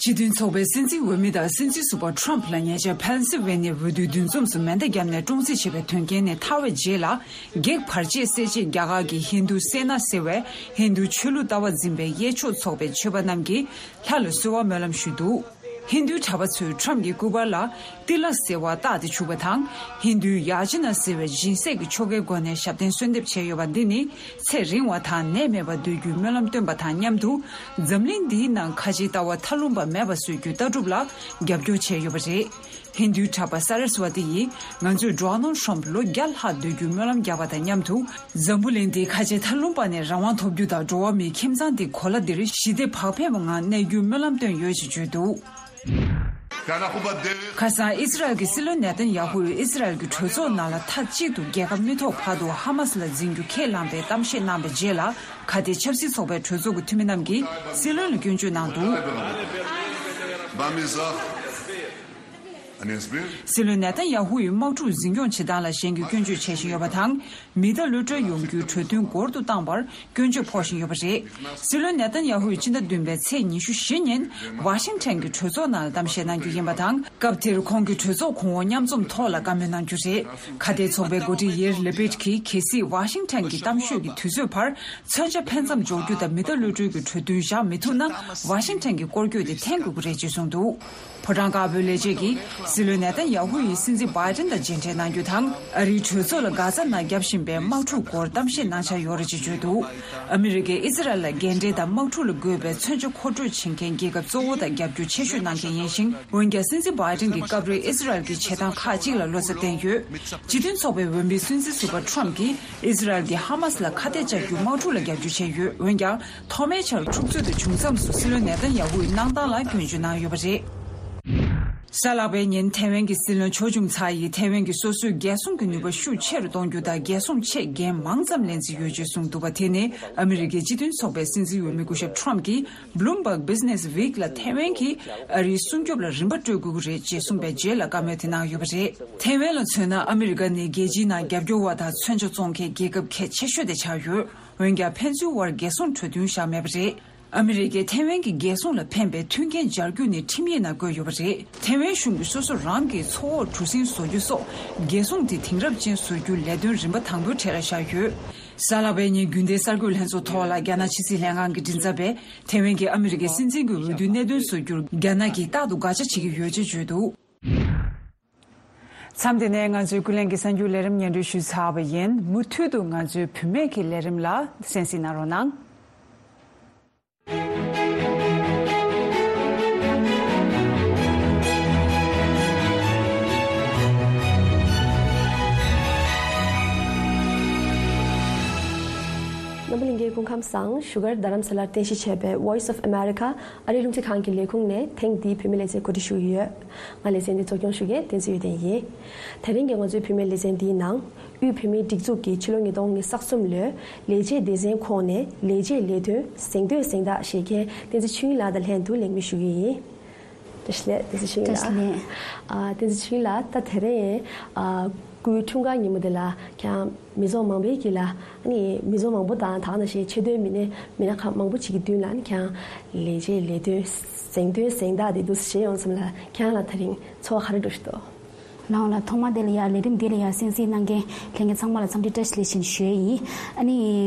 སྤྱི་མཐུན་ཚོགས་པའི་སྲིད་འཛིན་འོས་མི་དང་སྲིད་འཛིན་ཟུར་པ་ཊམ་ལ་ཉེ་ཆར་ཕེན་སིལ་ཝེ་ནི་ཡའི་འོས་བསྡུའི་འདུ་འཛོམས་སུ་མེ་མདའ་བརྒྱབ་ནས་བཀྲོངས་རྩིས་བྱས་པའི་དོན་རྐྱེན་ནས་ཐར་བའི་རྗེས་ལ། བགེགས་བར་ཆད་སེལ་ཆེད་རྒྱ་གར་གྱི་ཧིན་རྡུ་སེ་ན་ཟེར་བས་ཧིན་རྡུ་ཆོས་ལུགས་ལྟ་བ་འཛིན་པའི་གཡས་ཕྱོགས་ཚོགས་པའི་ཆོས་པ་རྣམས་ཀྱིས་ལྷ་ལ་གསོལ་བ་སྨོན་ལམ་ཞུས་འདུག་ཧིན་རྡུའི་གྲྭ་པ་ཚོས་ཊམ་གྱི་སྐུ་པར་ལ་ཏི་ལ་ཟེར་བ་བཏགས་ཏེ་བྱུགས་པ་དང་། ཧིན་རྡུའི་ཡ་ཅི་ན་ཟེར་བའི་སྦྱིན་སྲེག་གི་ཆོ་གའི་སྒོ་ནས་ཞབས་བརྟན་གསོལ་འདེབས་བྱས་ཡོད་པ་འདི་ནི་ཚེ་རིང་བ་དང་ནད་མེད་པར་སྡོད་རྒྱུའི་སྨོན་ལམ་བཏོན་པ་དང་མཉམ་དུ། འཛམ་གླིང་འདིའི་ནང་ཁ་ཆེའི་ལྟ་བ་མཐའ་ལྷུང་པ་མེད་པ་བཟོ་རྒྱུའི་ལྟ་གྲུབ་ལ་རྒྱབ་སྐྱོར་བྱས་ཡོད་པ་རེད། ཧིན་རྡུའི་གྲྭ་པ་སཱ་ར་སི་ཝ་ཏི་ཡིས། ང་ཚོས་ཌོ་ནལ་ཊམ་ལོ་བརྒྱ་ལྷག་སྡོད་རྒྱུའི་སྨོན་ལམ་བརྒྱབ་པ་དང་མཉམ་དུ། འཛམ་བུ་གླིང་འདི་ཁ་ཆེ་མཐའ་ལྷུང་པ་ནས་རང་དབང་ཐོབ་རྒྱུ་དང་། འགྲོ་བ་མིའི་ཁྱིམ་ཚང་འདི་གོ་ལ་འདིར་ཞི་བདེ་བག་ཕེབས་པའི་ངང་གནས་རྒྱུའི་སྨོན་ལམ་བཏོན་ཡོད་ཅེས་བརྗོད་འདུག་ཁ་སང་ཨི་སི་རལ་གྱི་སྲིད་བློན་ནེ་ཐན་ཡ་ཧུ་ཡིས་ཨི་སི་རལ་གྱི་གྲོས་ཚོགས་ནང་ལ་མཐའ་གཅིག་ཏུ་རྒྱལ་ཁ་མི་ཐོབ་བར་དུ་ཧ་མ་སི་ལ་འཛིན་རྒྱུ་ཁས་བླངས་པའི་གཏམ་བཤད་གནང་བའི་རྗེས་ལ། ཁ་གཏད་ཆབ་སྲིད་ཚོགས་པའི་གྲོས་ཚོགས་ཀྱི་འཐུས་མི་རྣམས་ཀྱིས་སྲིད་བློན་ལ་སྐྱོན་བརྗོད་གནང་འདུག་སྲིད་བློན་ནེ་ཐན་ཡ་ཧུ་ཡིས་དམག་འཁྲུག་འཛིན་སྐྱོང་བྱེད་སྟངས་ལ་གཞན་གྱིས་སྐྱོན་བརྗོད་བྱེད་བཞིན་ཡོད་པ་དང་། མི་གཏའ་གློད་གྲོལ་ཡོང་རྒྱུའི་གྲོས་མཐུན་འགོར་དུ་བཏང་བར་སྐྱོན་བརྗོད་ཕོག་བཞིན་ཡོད་པ་རེད། སྲིད་བློན་ནེ་ཐན་ཡ་ཧུ་ཡིས་ཕྱི་ཟླ་བདུན་པའི་ཚེས་ཉི་ཤུ་བཞི་ཉིན་ཝ་ཤིང་ཊོན་གྱི་གྲོས་ཚོགས་ནང་ལ་གཏམ་བཤད་གནང་རྒྱུ་ཡིན་པ་དང་། སྐབས་དེར་ཁོང་གིས་གྲོས་ཚོགས་གོང་འོག་མཉམ་འཛོམས་ཐོག་ལ་བཀའ་མོལ་གནང་རྒྱུ་རེད། ཁ་གཏད་ཚོགས་པའི་འགོ་ཁྲིད་ཡེར་ལེ་པིད་ཀྱིས། གལ་སྲིད་ཝ་ཤིང་ཊོན་གྱི་གཏམ་ཤོད་ཀྱི་དུས་ཚོད་བར་མཚོན་ཆ་འཕེན་མཚམས་འཇོག་རྒྱུ་དང་མི་གཏའ་གློད་གྲོལ་གྱི་གྲོས་མཐུན་བཞག་མི་ཐུབ་ན། ཝ་ཤིང་ཊོན་གྱི་སྐོར་སྐྱོད་དེ་འཐེན་དགོས་ཀྱི་རེད་ཅེས་གསུངས་འདུག་ཕོ་བྲང་དཀར་པོའི་ལས་བྱེད་ཀྱིས། སྲིད་བློན་ནེ་ཐན་ཡ་ཧུ་ཡིས་སྲིད་འཛིན་བྷའི་ཏིན་དང་མཇལ་འཕྲད་གནང་རྒྱུ་དང་། ཨ་རིའི་གྲོས་ཚོགས་ལ་གྷ་ཛ་ནང་བརྒྱབ་བཞིན་པའི་དམག་འཁྲུག་སྐོར་གཏམ་བཤད་གནང་འཆར་ཡོད་རེད་ཅེས་བརྗོད་འདུག་ཨ་མི་རི་ཀས་ཨི་སི་རལ་ལ་རྒན་གྲས་དང་དམག་འཁྲུག་ལ་དགོས་པའི་མཚོན་ཆ་མཁོ་སྤྲོད་བྱེད་མཁན་རྒྱལ་ཁབ་གཙོ་བོ་དང་རྒྱབ་སྐྱོར་ཆེ་ཤོས་གནང་མཁན་ཡིན་ཞིང་། འོན་ཀྱང་། སྲིད་འཛིན་བྷའི་ཏིན་གྱི་སྐབས་རེ་ཨི་སི་རལ་གྱི་བྱེད་སྟངས་ཁག་ཅིག་ལ་བློ་འཚབ་བསྟན་ཡོད། སྤྱི་མཐུན་ཚོགས་པའི་འོས་མིའི་སྲིད་འཛིན་ཟུར་པ་ཊམ་གྱིས་ཨི་སི་རལ་གྱིས་ཧ་མ་སི་ལ་ཁ་གཏད་བཅག་རྒྱུའི་དམག་འཁྲུག་ལ་རྒྱབ་སྐྱོར་བྱས་ཡོད། འོན་ཀྱང་། ཐོག་མའི་ཆར་འཁྲུག་རྩོད་དེ་བྱུང་མཚམས་སུ་སྲིད་བློན་ནེ་ཐན་ཡ་ཧུ་ཡི་གནང་སྟངས་ལ་སྐྱོན་བརྗོད་གནང་ཡོད་པ་རེད། གཟའ་ལྷག་པའི་ཉིན་ཐེ་ཝན་གྱི་སྲིད་བློན་ཆོས་འབྱུང་ཚ་ཡིས་ཐེ་ཝན་གྱིས་སོ་སོའི་རྒྱལ་སྲུང་གི་ནུས་པ་ཤུགས་ཆེ་རུ་གཏོང་རྒྱུ་དང་། རྒྱལ་སྲུང་ཆེད་འགན་མང་ཙམ་ལེན་རྩིས་ཡོད་ཅེས་གསུངས་འདུག་པ། དེ་ནི་ཨ་མི་རི་ཀའི་སྤྱི་མཐུན་ཚོགས་པའི་སྲིད་འཛིན་འོས་མི་སྐུ་ཞབས་ཊམ་གྱིས་Bloomberg Business Week ལ་ཐེ་ཝན་གྱིས་ཨ་རིའི་སྲུང་སྐྱོབ་ལ་རིན་པ་སྤྲོད་དགོས་ཀྱི་རེད་ཅེས་གསུངས་པའི་རྗེས་ལ་བཀའ་མོལ་དེ་གནང་ཡོད་པ་རེད། ཐེ་ཝན་ལ་མཚོན་ན། ཨ་མི་རི་ཀ་ནི་རྒྱལ་སྤྱིའི་ནང་རྒྱབ་སྐྱོར་བ་དང་མཚོན་ཆ་བཙོང་མཁན་རྒྱལ་ཁབ་གལ་ཆེ་ཤོས་དེ་ཆགས་ཡོད། འོན་ཀྱང་། ཕན་ཚུན་དབར་རྒྱལ་སྲུང་གྲོས་མཐུན་བཞག་མེད་པ་རེད། ཨ་མི་རི་ཀས་ཐེ་ཝན་གྱི་རྒྱལ་སྲུང་ལ་ཕན་པའི་མཐུན་རྐྱེན་སྦྱར་རྒྱུ་ནི་ཁྲིམས་ཡིག་ནང་བཀོད་ཡོད་པ་རེད། ཐེ་ཝན་གཞུང་གིས་སོ་སོ་རང་གི་མཚོ་འོག་གྲུ་གཟིངས་བཟོ་རྒྱུ་སོགས་རྒྱལ་སྲུང་དེ་དེང་རབས་ཅན་བཟོ་རྒྱུའི་ལས་དོན་རིམ་པ་དང་པོའི་གྲས་ལ་བཞག་ཡོད། གཟའ་ལྷག་པའི་ཉིན་རྒྱུན་ལྡན་གསར་འགོད་ལྷན་ཚོགས་ཐོག་ལ་རྒྱ་ནག་ཕྱི་སྲིད་ལྷན་ཁང་གི་མགྲིན་ཚབ་པས་ཐེ་ཝན་གྱིས་ཨ་མི་རི་ཀའི་སྲིད་འཛིན་གྱི་འོས་བསྡུའི་གནད་དོན་བཟོ་རྒྱུར་རྒྱ་ནག་གིས་རྟག་ཏུ་དགག་བྱ་བྱེད་ཀྱི་ཡོད་ཅེས་བརྗོད་འདུག་མཚམས་འདི་ནས་ང་ཚོའི་ཀུན་གླེང་གི་གསར་འགྱུར་ལས་རིམ་སྙན་སྒྲོན་ཞུས་ཚར་བ་ཡིན། མུ་མཐུད་དུ་ང་ཚོའི་བུད་མེད་ཀྱི་ལས་རིམ་ལ་གསན་གཟིགས་གནང་རོགས་གནང་། རྣམ་པ་ལྷན་རྒྱས་སྐུ་ཁམས་བཟང་། བཞུགས་སྒར་རྡ་རམ་ས་ལར་རྟེན་གཞི་བྱས་པའི་Voice of America ཨ་རིའི་རླུང་འཕྲིན་ཁང་གི་ལས་ཁུངས་ནས་ཐེངས་འདིའི་བུད་མེད་ལེ་ཚན་གོ་སྒྲིག་ཞུ་གི་ཡོད། ང་ལེ་ཚན་འདི་གཙོ་སྐྱོང་ཞུ་མཁན་བསྟན་འཛིན་ཡོན་ཏན་ཡིན། དེ་རིང་གི་ང་ཚོའི་བུད་མེད་ལེ་ཚན་འདིའི་ནང་། དབུས་བོད་མིའི་སྒྲིག་འཛུགས་ཀྱིས་ཕྱི་ལོ་ཉིས་སྟོང་ཉི་ཤུ་རྩ་གསུམ་ལོའི་ལས་བྱེད་སྡེ་ཚན་ཁོངས་ནས་ལས་བྱེད་ལས་དོན་གཟེངས་བསྟོད་གཟེངས་རྟགས་བཞེས་མཁན་བསྟན་འཛིན་ཆོས་དབྱིངས་ལགས་དང་ལྷན་དུ་གླེང་མོལ་ཞུ་གི་ཡིན། བཀྲ་ཤིས་བདེ་ལེགས། བཀྲ་ཤིས་བདེ་ལེགས། ཨ་བསྟན་འཛིན་ཆོས་དབྱིངས་ལགས། ད་དེ་རིང་ཨ་སྐུའི་འཁྲུངས་སྐར་ཉིན་མོ་འདི་ལ་ཁྱེད་མི་ཚོགས་མང་པོའི་དཀྱིལ་ལ། ཨ་ནི་མི་ཚོགས་མང་པོ་དང་ད་ག་ནང་བཞིན་ཆེས་མཐོའི་མི་སྣ་མི་སྣ་ཁག་མང་པོ་ཞིག་གི་མདུན་ལ་ཨ་ནི་ཁྱེད་ལས་བྱེད་ལས་དོན་གཟེངས་ཐོན་གཟེངས་རྟགས་དེ་འདུག་སེ་བཞེས་ཡོང་ཙམ་ལ། ཁྱེད་ལ་དེ་རིང་ཚོར་བ་ག་རེ་འདྲ་ཞིག་འདུག་ལགས་འོང་ལགས། ཐོག་མ་དེ་ལ་ཡ་ལས་རིམ་འདི་ལ་ཡ་གསན་གཟིགས་གནང་མཁན་ལྷན་རྒྱས་ཚང་མ་ལ་འཚམས་འདྲི་བཀྲ་ཤིས་བདེ་ལེགས་ཞུ་ཡི་ཡིན། ཨ་ནི་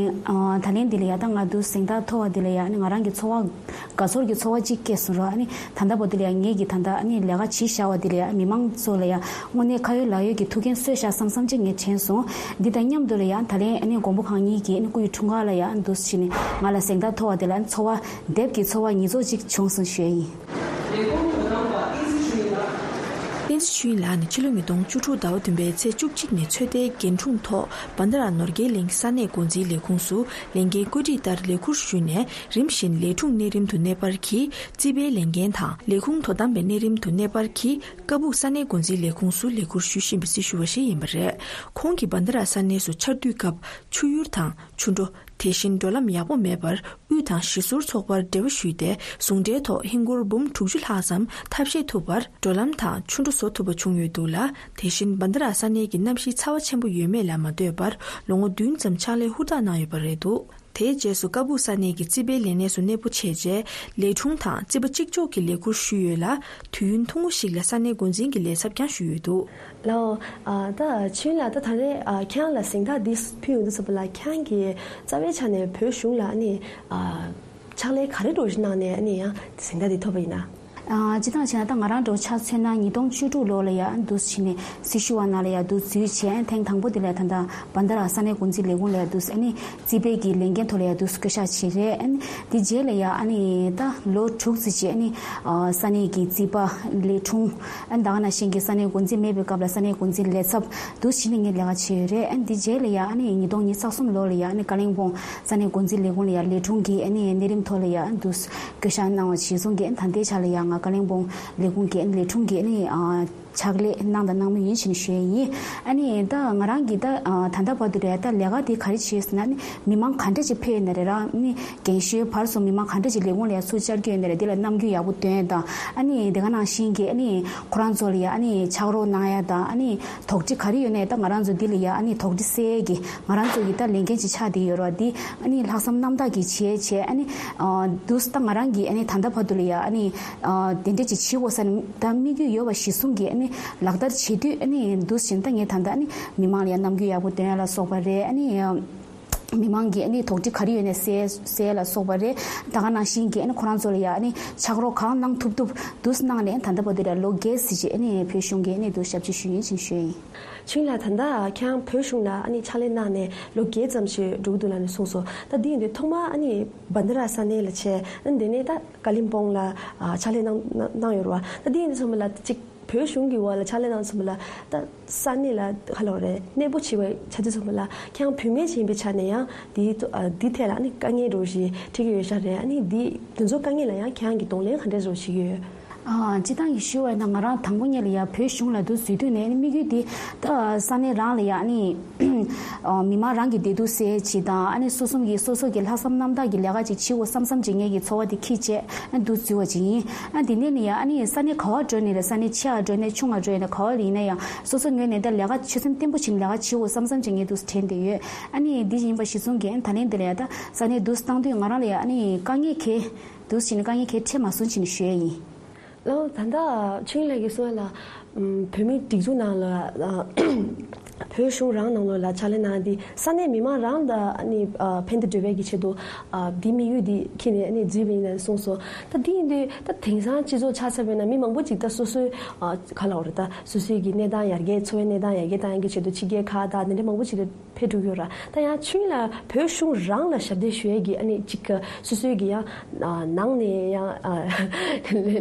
ཨ་ད་ལན་འདི་ལ་ཡ་ད་ང་འདུག་གཟེངས་རྟགས་ཐོབ་པ་འདི་ལ་ཡ་ཨ་ནི་ང་རང་གི་ཚོར་བ་དགའ་ཚོར་གྱི་ཚོར་བ་གཅིག་སྐྱེས་སོང་ར། ཨ་ནི་ད་ལྟ་བར་དུ་ལ་ཡ་ངེད་ཀྱིས་ད་ལྟ་ཨ་ནི་ལས་ཀ་བྱེད་བཞག་པ་འདི་ལ་ཡ་མི་མང་ཚོ་ལ་ཡ་དངོས་གནས་ཁ་ཡོད་ལག་ཡོད་ཀྱི་ཐུགས་འགན་གསོས་བཞག་བསམ་བསམ་ཅིག་ངས་དྲན་སོང་། འདི་དང་མཉམ་དུ་ལ་ཡ་ད་ལན་ཨ་ནི་མགོན་པོ་གང་ཉིད་ཀྱི་ཨ་ནི་སྐུ་ཡི་འཁྲུངས་སྐར་ལ་ཡ་འདུག་སེ་བྱས་ནས་ང་ལ་གཟེངས་རྟགས་ཐོབ་པ་འདི་ལ་ཨ་ནི་ཚོར་བ་འདེབས་ཀྱི་ཚོར་བ་ཉིས་ཚོགས་ཅིག་བྱུང་སོང་ཞུ་ཡ་ཡིན། བསྟན་འཛིན་ཆོས་དབྱིངས་ལགས་ནི་ཕྱི་ལོ་ཉིས་སྟོང་བཅུ་དྲུག་ཟླ་བ་བདུན་པའི་ཚེས་བཅུ་གཅིག་ཉིན་ཚོད་ལྟའི་འགན་འཁྲུངས་ཐོག་བན་དྷ་ར་ནོར་རྒྱས་གླིང་ས་གནས་འགོ་འཛིན་ལས་ཁུངས་སུ་ལས་འགན་བཀོད་སྒྲིག་ལྟར་ལས་ཁུར་ཞུས་ནས། རིམ་བཞིན་ལས་དྲུང་གནས་རིམ་དུ་གནས་སྤར་གྱིས་རྩིས་པའི་ལས་འགན་དང་། ལས་ཁུངས་དོ་དམ་པའི་གནས་རིམ་དུ་གནས་སྤར་གྱིས་ཀ་སྦུག་ས་གནས་འགོ་འཛིན་ལས་ཁུངས་སུ་ལས་ཁུར་ཞུ་བཞིན་པའི་སྲི་ཞུ་བ་ཞིག་ཡིན་པ་རེད། ཁོང་གིས་བན་དྷ་ར་ས་གནས་སུ་ཆར་དུས་སྐབས་ཆུ་ཡུར་དང་ཆུ་འགྲོ། དེ་བཞིན་འགྲོ་ལམ་ཡག་པོ་མེད་པར་དབུས་དང་གཞིས་ཟུར་ཚོགས་པར་འབྲེལ་བ་ཞུས་ཏེ། ཟུང་འབྲེལ་ཐོག་ཧིན་སྒོར་འབུམ་དྲུག་ཅུ་ལྷག་ཙམ་ཐབས་ཤེས་ཐུབ་པར་འགྲོ་ལམ་དང་ཆུ་འགྲོ་བཟོ་ཐུབ་པ་བྱུང་ཡོད་འདུག་ལ། དེ་བཞིན་བན་དྷ་ར་ས་གནས་ཀྱི་གནམ་གཤིས་ཚ་བ་ཆེན་པོ་ཡོད་མེད་ལ་མ་ལྟོས་པར་ལོ་ངོ་བདུན་ཙམ་ཕྱག་ལས་ཧུར་ཐག་གནང་ཡོད་པ་རེད་འདུག་དེའི་རྗེས་སུ་ཀ་སྦུག་ས་གནས་ཀྱི་རྩིས་པའི་ལས་གནས་སུ་གནས་སྤོ་བྱས་རྗེས། ལས་དྲུང་དང་རྩིས་པ་གཅིག་ལྕོགས་ཀྱི་ལས་ཁུར་ཞུས་ཡོད་ལ། དུས་ཡུན་ཐུང་ངུ་ཞིག་ལ་ས་གནས་འགོ་འཛིན་གྱི་ལས་ཚབ་ཀྱང་ཞུས་ཡོད་འདུག་ལགས་འོང་། ཨ་ད་ཆོས་དབྱིངས་ལགས། ད་ད་རེས་ཨ་ཁྱེད་རང་ལ་གཟེངས་རྟགས་འདི་ཕུལ་ཡོང་དུས་ཙམ་པ་ལ། ཁྱེད་རང་གིས་རྩ་བའི་ཆ་ནས་བོད་གཞུང་ལ་ཨ་ནི་ཨ་ཕྱག་ལས་ག་རེ་འདྲ་བོ་ཞིག་གནང་ནས་ཨ་ནི་ཡང་གཟེངས་རྟགས་འདི་ཐོབ་པ་ཡིན་ན། ཨ་སྤྱིར་བཏང་བྱས་ན་ད་ང་རང་འདྲ་བོ་ཆ་མཚོན་ན་ཉིས་སྟོང་བཅུ་དྲུག་ལོ་ལ་ཡ་འདུག་སེ་བྱས་ནས་སྲི་ཞུ་བ་ནང་ལ་ཡ་འདུག་འཛུལ་བྱས། ཐེངས་དང་པོ་དེ་ལ་ད་ལྟ་བན་དྷ་ར་ས་གནས་འགོ་འཛིན་ལས་ཁུངས་ལ་ཡ་འདུག་སེ་ཨ་ནི་རྩིས་པའི་གི་ལས་འགན་ཐོག་ལ་ཡ་འདུག་སེ་བསྐོ་བཞག་བྱས་རེད། ཨ་ནི་དེ་རྗེས་ལ་ཡ་ཨ་ནི་ད་ལོ་དྲུག་ཙམ་ཅིག་ཨ་ནི་ཨ་ས་གནས་ཀྱི་རྩིས་པ་ལས་དྲུང་། ཨ་ནི་ད་ག་ནང་བཞིན་གྱི་ས་གནས་འགོ་འཛིན་མེད་པའི་སྐབས་ལ་ས་གནས་འགོ་འཛིན་ལས་ཚབ་འདུག་སེ་བྱས་ནས་ངས་ལས་ཀ་བྱས་ཡོད་རེད། ཨ་ནི་དེ་རྗེས་ལ་ཡ་ཨ་ནི་ཉིས་སྟོང་ཉི་ཤུ་རྩ་གསུམ་ལོ་ལ་ཡ་ཨ་ནི་ཀ་ལིང་སྤོང་ས་གནས་འགོ་འཛིན་ལས་ཁུངས་ལ་ཡ་ལས་དྲུང་གི་ཨ་ནི་གནས་རིམ་ཐོག་ལ་ཡ་འདུག་སེ་བསྐོ་བཞག་གནང་བ་གཞིར་བཟུང་གིས། ཨ་ནི་ད་ལྟའི་ཆ་ལ་ཡ་ང་ཀ་ལིང་སྤོང་ལས་ཁུངས་ཀྱི་ཨ་ནི་ལས་དྲུང་གི་ཨ་ནི་ཨ་ཕྱག་ལས་གནང་དང་གནང་མུས་ཡིན་ཞེས་ནས་ཞུ་ཡས་ཡིན། ཨ་ནི་ད་ང་རང་གིས་ད་ཨ་ད་ལྟ་བར་དུ་ལ་ཡ་ད་ལས་ཀ་དེ་ག་རེ་བྱས་ཟེར་ན། ཨ་ནི་མི་མང་ག་འདྲ་ཅིག་ཕེབས་ཡོད་ན་རེད་ར། ཨ་ནི་རྒན་གཞོན་བར་གསུམ་མི་མང་ག་འདྲ་ཅིག་ལས་ཁུངས་ལ་ཡ་ཚུར་བཅར་རྒྱུ་ཡོད་ན་རེད། དེ་ལ་རྣམ་འགྱུར་ཡག་པོ་སྟོན་དང་། ཨ་ནི་དེ་ག་ནང་བཞིན་གྱི་ཨ་ནི་ཁོ་རང་ཚོ་ལ་ཡ་ཨ་ནི་ཕྱག་རོགས་གནང་ཡ་དང་། ཨ་ནི་དོགས་འདྲི་ག་རེ་ཡོད་ནའི་ད་ང་རང་ཚོ་འདི་ལ་ཡ་ཨ་ནི་དོགས་འདྲི་སེལ་གྱི་ང་རང་ཚོ་གི་ད་ལས་འགན་ཅིག་ཆགས་བསྡད་ཡོད་རེད་བ། འདི་ཨ་ནི་ལྷག་བསམ་རྣམ་དག་གིས་བྱས་བྱས། ཨ་ནི་ཨ་འདུག་སེ་ད་ང་རང་གིས་ཨ་ནི་ད་ལྟ་བར་དུ་ལ་ཡ་ཨ་ནི་ཨ་དེ་འདྲ་ཅིག་བྱེད་དགོས་ས་ནི་ད་དམིགས་ཡུལ་ཡོད་པ་གཞིར་བཟུང་གིས། ཨ་ནི་ལག་བསྟར་བྱེད་དུས་ཨ་ནི་འདུག་སེ་བྱས་ནས་ད་ངས་ད་ལྟ་ཨ་ནི་མི་མང་ལ་ཡ་རྣམ་འགྱུར་ཡག་པོ་སྟོན་ཡ་ལ་སོགས་པ་རེད། ཨ་ནི་ཨ་མི་མང་གིས་ཨ་ནི་དོགས་འདྲི་ག་རེ་ཡོད་ནའི་སེལ་སེལ་ལ་སོགས་པ་རེད། ད་ག་ནང་བཞིན་གྱི་ཨ་ནི་ཁོ་རང་ཚོ་ལ་ཡ་ཨ་ནི་ཕྱག་རོགས་གང་གནང་ཐུབ་ཐུབ་འདུག་སེ་གནང་ནས། ད་ལྟ་བར་དུ་ལ་ལོ་བརྒྱད་ཙམ་ཅིག་ཨ་ནི་བོད་གཞུང་གི་ཨ་ནི་འདུག་ཞབས་ཕྱི་ཞུ་ཡིན་ཞེས་ཞུ་ཡིན། ཆོས་དབྱིངས་ལགས། ད་ལྟ་ཁྱེད་རང་བོད་གཞུང་ལ་ཨ་ནི་ཕྱག་ལས་གནང་ནས་ལོ་བརྒྱད་ཙམ་ཞིག་འགྲོ་གི་འདུག་ལབ་ནས་གསུངས་སོང་། ད་འདི་ཡིན་དུས་ཐོག་མར་ཨ་ནི་བན་དྷ་ར་ས་གནས་ལ་བྱས། ཨ་ནི་དེ་ནས་ད་ཀ་ལིམ་པོང་ལ་ཨ་ཕྱག་ལས་གནང་གནང་གནང་ཡོད་རེད་བ། ད་འདི་ཡིན་དུས་ཚང་མ་ལ་གཅིག་བོད་གཞུང་གི་འོག་ལ་ཕྱག་ལས་གནང་ཚང་མ་ལ་ད་ས་གནས་ལ་ག་ལབ་རེད། གནས་སྤོ་བྱས་པའི་ཆ་དུས་ཚང་མ་ལ་ཁྱེད་རང་བུད་མེད་ཅིག་ཡིན་པའི་ཆ་ནས་ཡང་འདི་ཨ་འདི་ཐད་ལ་ཨ་ནི་དཀའ་ངལ་འདྲ་བོ་ཞིག་འཕྲད་ཀྱི་ཡོད་ཤག་རེད། ཨ་ནི་འདི་འདི་ཚོ་དཀའ་ངལ་ལ་ཡང་ཁྱེད་རང་གིས་གདོང་ལེན་ག་འདྲ་བཟོ་བྱེད་ཀྱི་ཡོད། ཨ་སྤྱིར་བཏང་གི་ཞུ་བ་ཡིན་ན། ང་རང་དང་པོ་ཉིད་ལ་ཡ་བོད་གཞུང་ལ་འདུག་འཛུལ་དུས་ནས་ཨ་ནི་དམིགས་ཡུལ་འདི་ད་ས་གནས་རང་ལ་ཡ་ཨ་ནི་ཨ་མི་མང་རང་གི་བདེ་སྡུག་སེལ་བྱེད་དང་། ཨ་ནི་སོ་སོ་གི་སོ་སོ་གི་ལྷག་བསམ་རྣམ་དག་གི་ལས་ཀ་ཅིག་བྱེད་དགོས་བསམ་བསམ་ཅིག་ངེད་ཀྱི་ཚོར་བ་དེ་འཁྱེར་བྱས་ཨ་འདུག་འཛུལ་བ་ཅིག་ཡིན། ཨ་དེ་ནས་ནི་ཡ་ཨ་ནི་ས་གནས་ག་བར་འགྲོ་ནས་རེད། ས་གནས་ཆེ་བ་འགྲོ་ནས་ཆུང་བ་འགྲོ་ནས་ག་བ་ལ་ཡིན་ན་ཡང་། སོ་སོ་ངོས་ནས་ད་ལས་ཀ་ཆོད་སེམས་བརྟན་པོ་བྱས་ནས་ལས་ཀ་བྱེད་དགོས་བསམ་བསམ་ཅིག་ངས་འདུག་དྲན་བསྡད་ཡོད། ཨ་ནི་འདི་ཡིན་པ་གཞིར་བཟུང་གིས་ཨ་ནི་ད་ལན་འདི་ལ་ཡ་ད་ས་གནས་འདུག་བཏང་དུས་ང་རང་ལ་ཡ་ཨ་ནི་དཀའ་ངལ་གས་འདུག་བྱས་ནས་དཀའ་ངལ་གས་འཕྲད་མ་སོང་ཅིག་ནས་ཞུ་ཡ་ཡིན། ལགས། ད་ལྟ་ཆོས་དབྱིངས་ལགས་ཀྱིས་གསུངས་ཡ་ལ། ཨམ་བོད་མིའི་སྒྲིག་འཛུགས་ནང་ལ་ཨ་བོད་གཞུང་རང་ནང་ལོགས་ལ་ཕྱག་ལས་གནང་དེ་ས་གནས་མི་མང་རང་ལ་ཨ་ནི་ཨ་ཕན་བདེ་སྒྲུབ་པའི་གི་ཆེད་དུ་ཨ་འདི་དམིགས་ཡུལ་འདི་འཁྱེར་ནས་ཨ་ནི་འཛུལ་བ་ཡིན་ལབ་གསུངས་སོང་། ད་འདི་ཡིན་དུས་ད་དེང་སང་སྤྱི་ཚོགས་ཆ་ཚང་ཡིན་ན་མི་མང་པོ་ཅིག་ད་སོ་སོའི་ཨ་ག་ལབ་དགོས་རེད། ད་སོ་སོའི་གི་གནས་སྟངས་ཡར་རྒྱས། འཚོ་བའི་གནས་སྟངས་ཡར་རྒྱས་གཏང་ཡག་གི་ཆེད་དུ་ཕྱི་རྒྱལ་ཁག་དང་དེ་འདྲ་མང་པོ་ཅིག་ལ་ཕེབས་འགྲོ་གི་ཡོད་ར། ད་ཡང་ཆོས་དབྱིངས་ལགས་བོད་གཞུང་རང་ལ་ཞབས་འདེགས་ཞུ་ཡས་ཀྱི་ཨ་ནི་གཅིག་ག་སོ་སོའི་གི་ཡང་ཨ་ནང་ནས་ཡང་ཨ་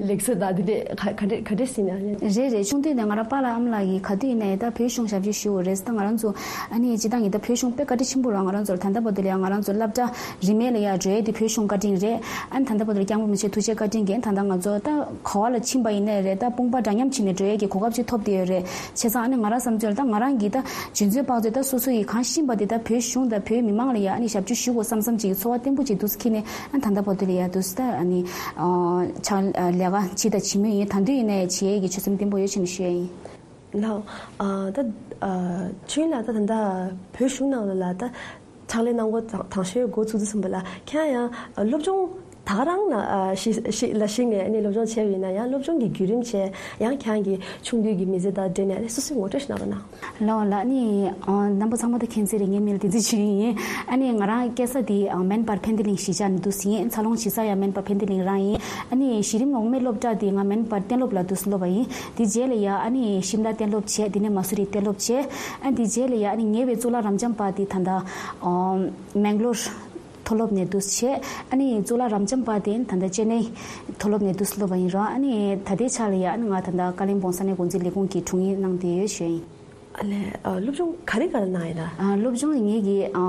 ལེགས་གསོལ་དང་དེ་འདྲས་ག་ག་འདྲས་ག་འདྲས་ཟིན་ན། རེད་རེད། ཆུང་དུས་ནས་ང་རང་པཱ་ལགས་ཨ་མ་ལགས་ཀྱིས་ག་དུས་ཡིན་ནའི་ད་བོད་གཞུང་ཞབས་ཕྱི་ཞུ་དགོས་རེད། ད་ང་རང་ཚོ་ཨ་ནི་སྤྱིར་བཏང་གི་ད་བོད་གཞུང་དཔེ་བཀའ་དྲིན་ཆེན་པོ་རང་ང་རང་ཚོར་ད་ལྟ་བར་དུ་ལ་ཡང་ང་རང་ཚོ་སློབ་གྲྭ་རིན་མེད་ལ་ཡང་འགྲོ་ཡས་དེ་བོད་གཞུང་བཀའ་དྲིན་རེད། ཨ་ནི་ད་ལྟ་བར་དུ་སྐྱབས་མགོན་རིན་པོ་ཆེ་ཐུགས་རྗེ་བཀའ་དྲིན་གྱིས་ད་ལྟ་ང་ཚོ་ད་ག་བ་ལ་ཕྱིན་པ་ཡིན་ནའི་རེད། ད་དཔུང་པ་འདྲ་མཉམ་བྱས་ནས་འགྲོ་ཡས་ཀྱི་གོ་སྐབས་ཅིག་ཐོབ་བསྡད་ཡོད་རེད། བྱས་ཙང་ཨ་ནི་ང་རང་བསམ་ཚུལ་ལ་ད་ང་རང་གིས་ད་འཇོན་ཚོད་དཔག་ཚོད་ད་སོ་སོ་ཡིས་གང་ཤེས་པ་དེ་ད་བོད་གཞུང་དང་བོད་མི་མང་ལ་ཡང་ཨ་ནི་ཞབས་ཕྱི་ཞུ་དགོས་བསམ་བསམ་ཅིག་ཚོར་བ་བརྟན་པོ་ཅིག་འདུག་སེ་འཁྱེར་ནས་ཨ་ནི་ད་ལྟ་བར་དུ་ལ་ཡང་འདུག་སེ་ད་ཨ་ནི་ཕྱག་ལས་ཀ་བྱས་དང་བྱེད་མུས་ཡིན། ད་དུང་ཡིན་ནའི་བྱེད་ཡས་ཀྱི་ཆོད་སེམས་བརྟན་པོ་ཡོད་ཅེས་ནས་ཞུ་ཡས་ཡིན། ལགས། ཨ་ད་ཨ་ཆོས་ལགས་ད་ད་ལྟ་བོད་གཞུང་ནང་ལ་ལ་ད་ཕྱག་ལས་གནང་སྒོ་དང་དང་ཤོས་འགོ་ཚུགས་དུས་ཙམ་པ་ལ་ཁྱེད་ཡང་ཨ་སློབ་སྦྱོང་ད་ག་རང་ལ་ཨ་ཤི་ཤི་ལ་ཤི་ནས་ཨ་ནི་སློབ་སྦྱོང་བྱས་པ་ཡིན་ན་ཡང་སློབ་སྦྱོང་གི་བརྒྱུད་རིམ་བྱས་ཡང་ཁྱེད་རང་གི་ཆུང་དུས་ཀྱི་མི་ཚེ་དང་འབྲེལ་ནས་ཨ་ནི་སོ་སོའི་ངོ་སྤྲོད་ཞིག་གནང་རོགས་གནང་། ལགས་ལགས། ཨ་ནི་ཨ་རྣམ་པ་ཚང་མ་ད་མཁྱེན་གསལ་རེད། ངའི་མིང་ལ་བསྟན་འཛིན་ཆོས་དབྱིངས་ཡིན། ཨ་ནི་ང་རང་སྐྱེས་ས་དེ་ཨ་སྨན་པར་ཕན་བདེ་གླིང་གཞིས་ཆགས་ནས་འདུག་སེ་ཡིན། འཚར་ལོངས་བྱེད་ས་ཡང་སྨན་པར་ཕན་བདེ་གླིང་རང་ཡིན། ཨ་ནི་གཞི་རིམ་འོག་མའི་སློབ་གྲྭ་དེ་ང་སྨན་པར་གཏན་སློབ་ལ་འདུག་སེ་སློབ་པ་ཡིན། དེ་རྗེས་ལ་ཡ་ཨ་ནི་ཤིམ་ལ་གཏན་སློབ་བྱས། དེ་ནས་མ་སུ་རི་གཏན་སློབ་བྱས། ཨ་དེ་རྗེས་ལ་ཡ་ཨ་ནི་ཉེ་བའི་གཙུག་ལག་རབ་འབྱམས་པ་དེ་ད་ལྟ་ཨ་མེང་ལོར་མཐོ་སློབ་ནས་འདུག་སེ་བྱས། ཨ་ནི་གཙུག་ལག་རབ་འབྱམས་པ་དེ་ད་ལྟ་ཅེ་ནའི་མཐོ་སློབ་ནས་འདུག་སེ་སློབ་པ་ཡིན་རོགས། ཨ་ནི་ད་ལྟའི་ཆ་ལ་ཡ་ཨ་ནི་ང་ད་ལྟ་ཀ་ལིམ་པོང་ས་གནས་འགོ་འཛིན་ལས་ཁུངས་ཀྱི་དྲུང་ཡིག་གནང་བསྡད་ཡོད་ཞུ་ཡིན། ཨ་ལས། ཨ་སློབ་སྦྱོང་ག་རེ་ག་རེ་གནང་ཡིན་ན། ཨ་སློབ་སྦྱོང་ངེད་ཀྱིས་ཨ་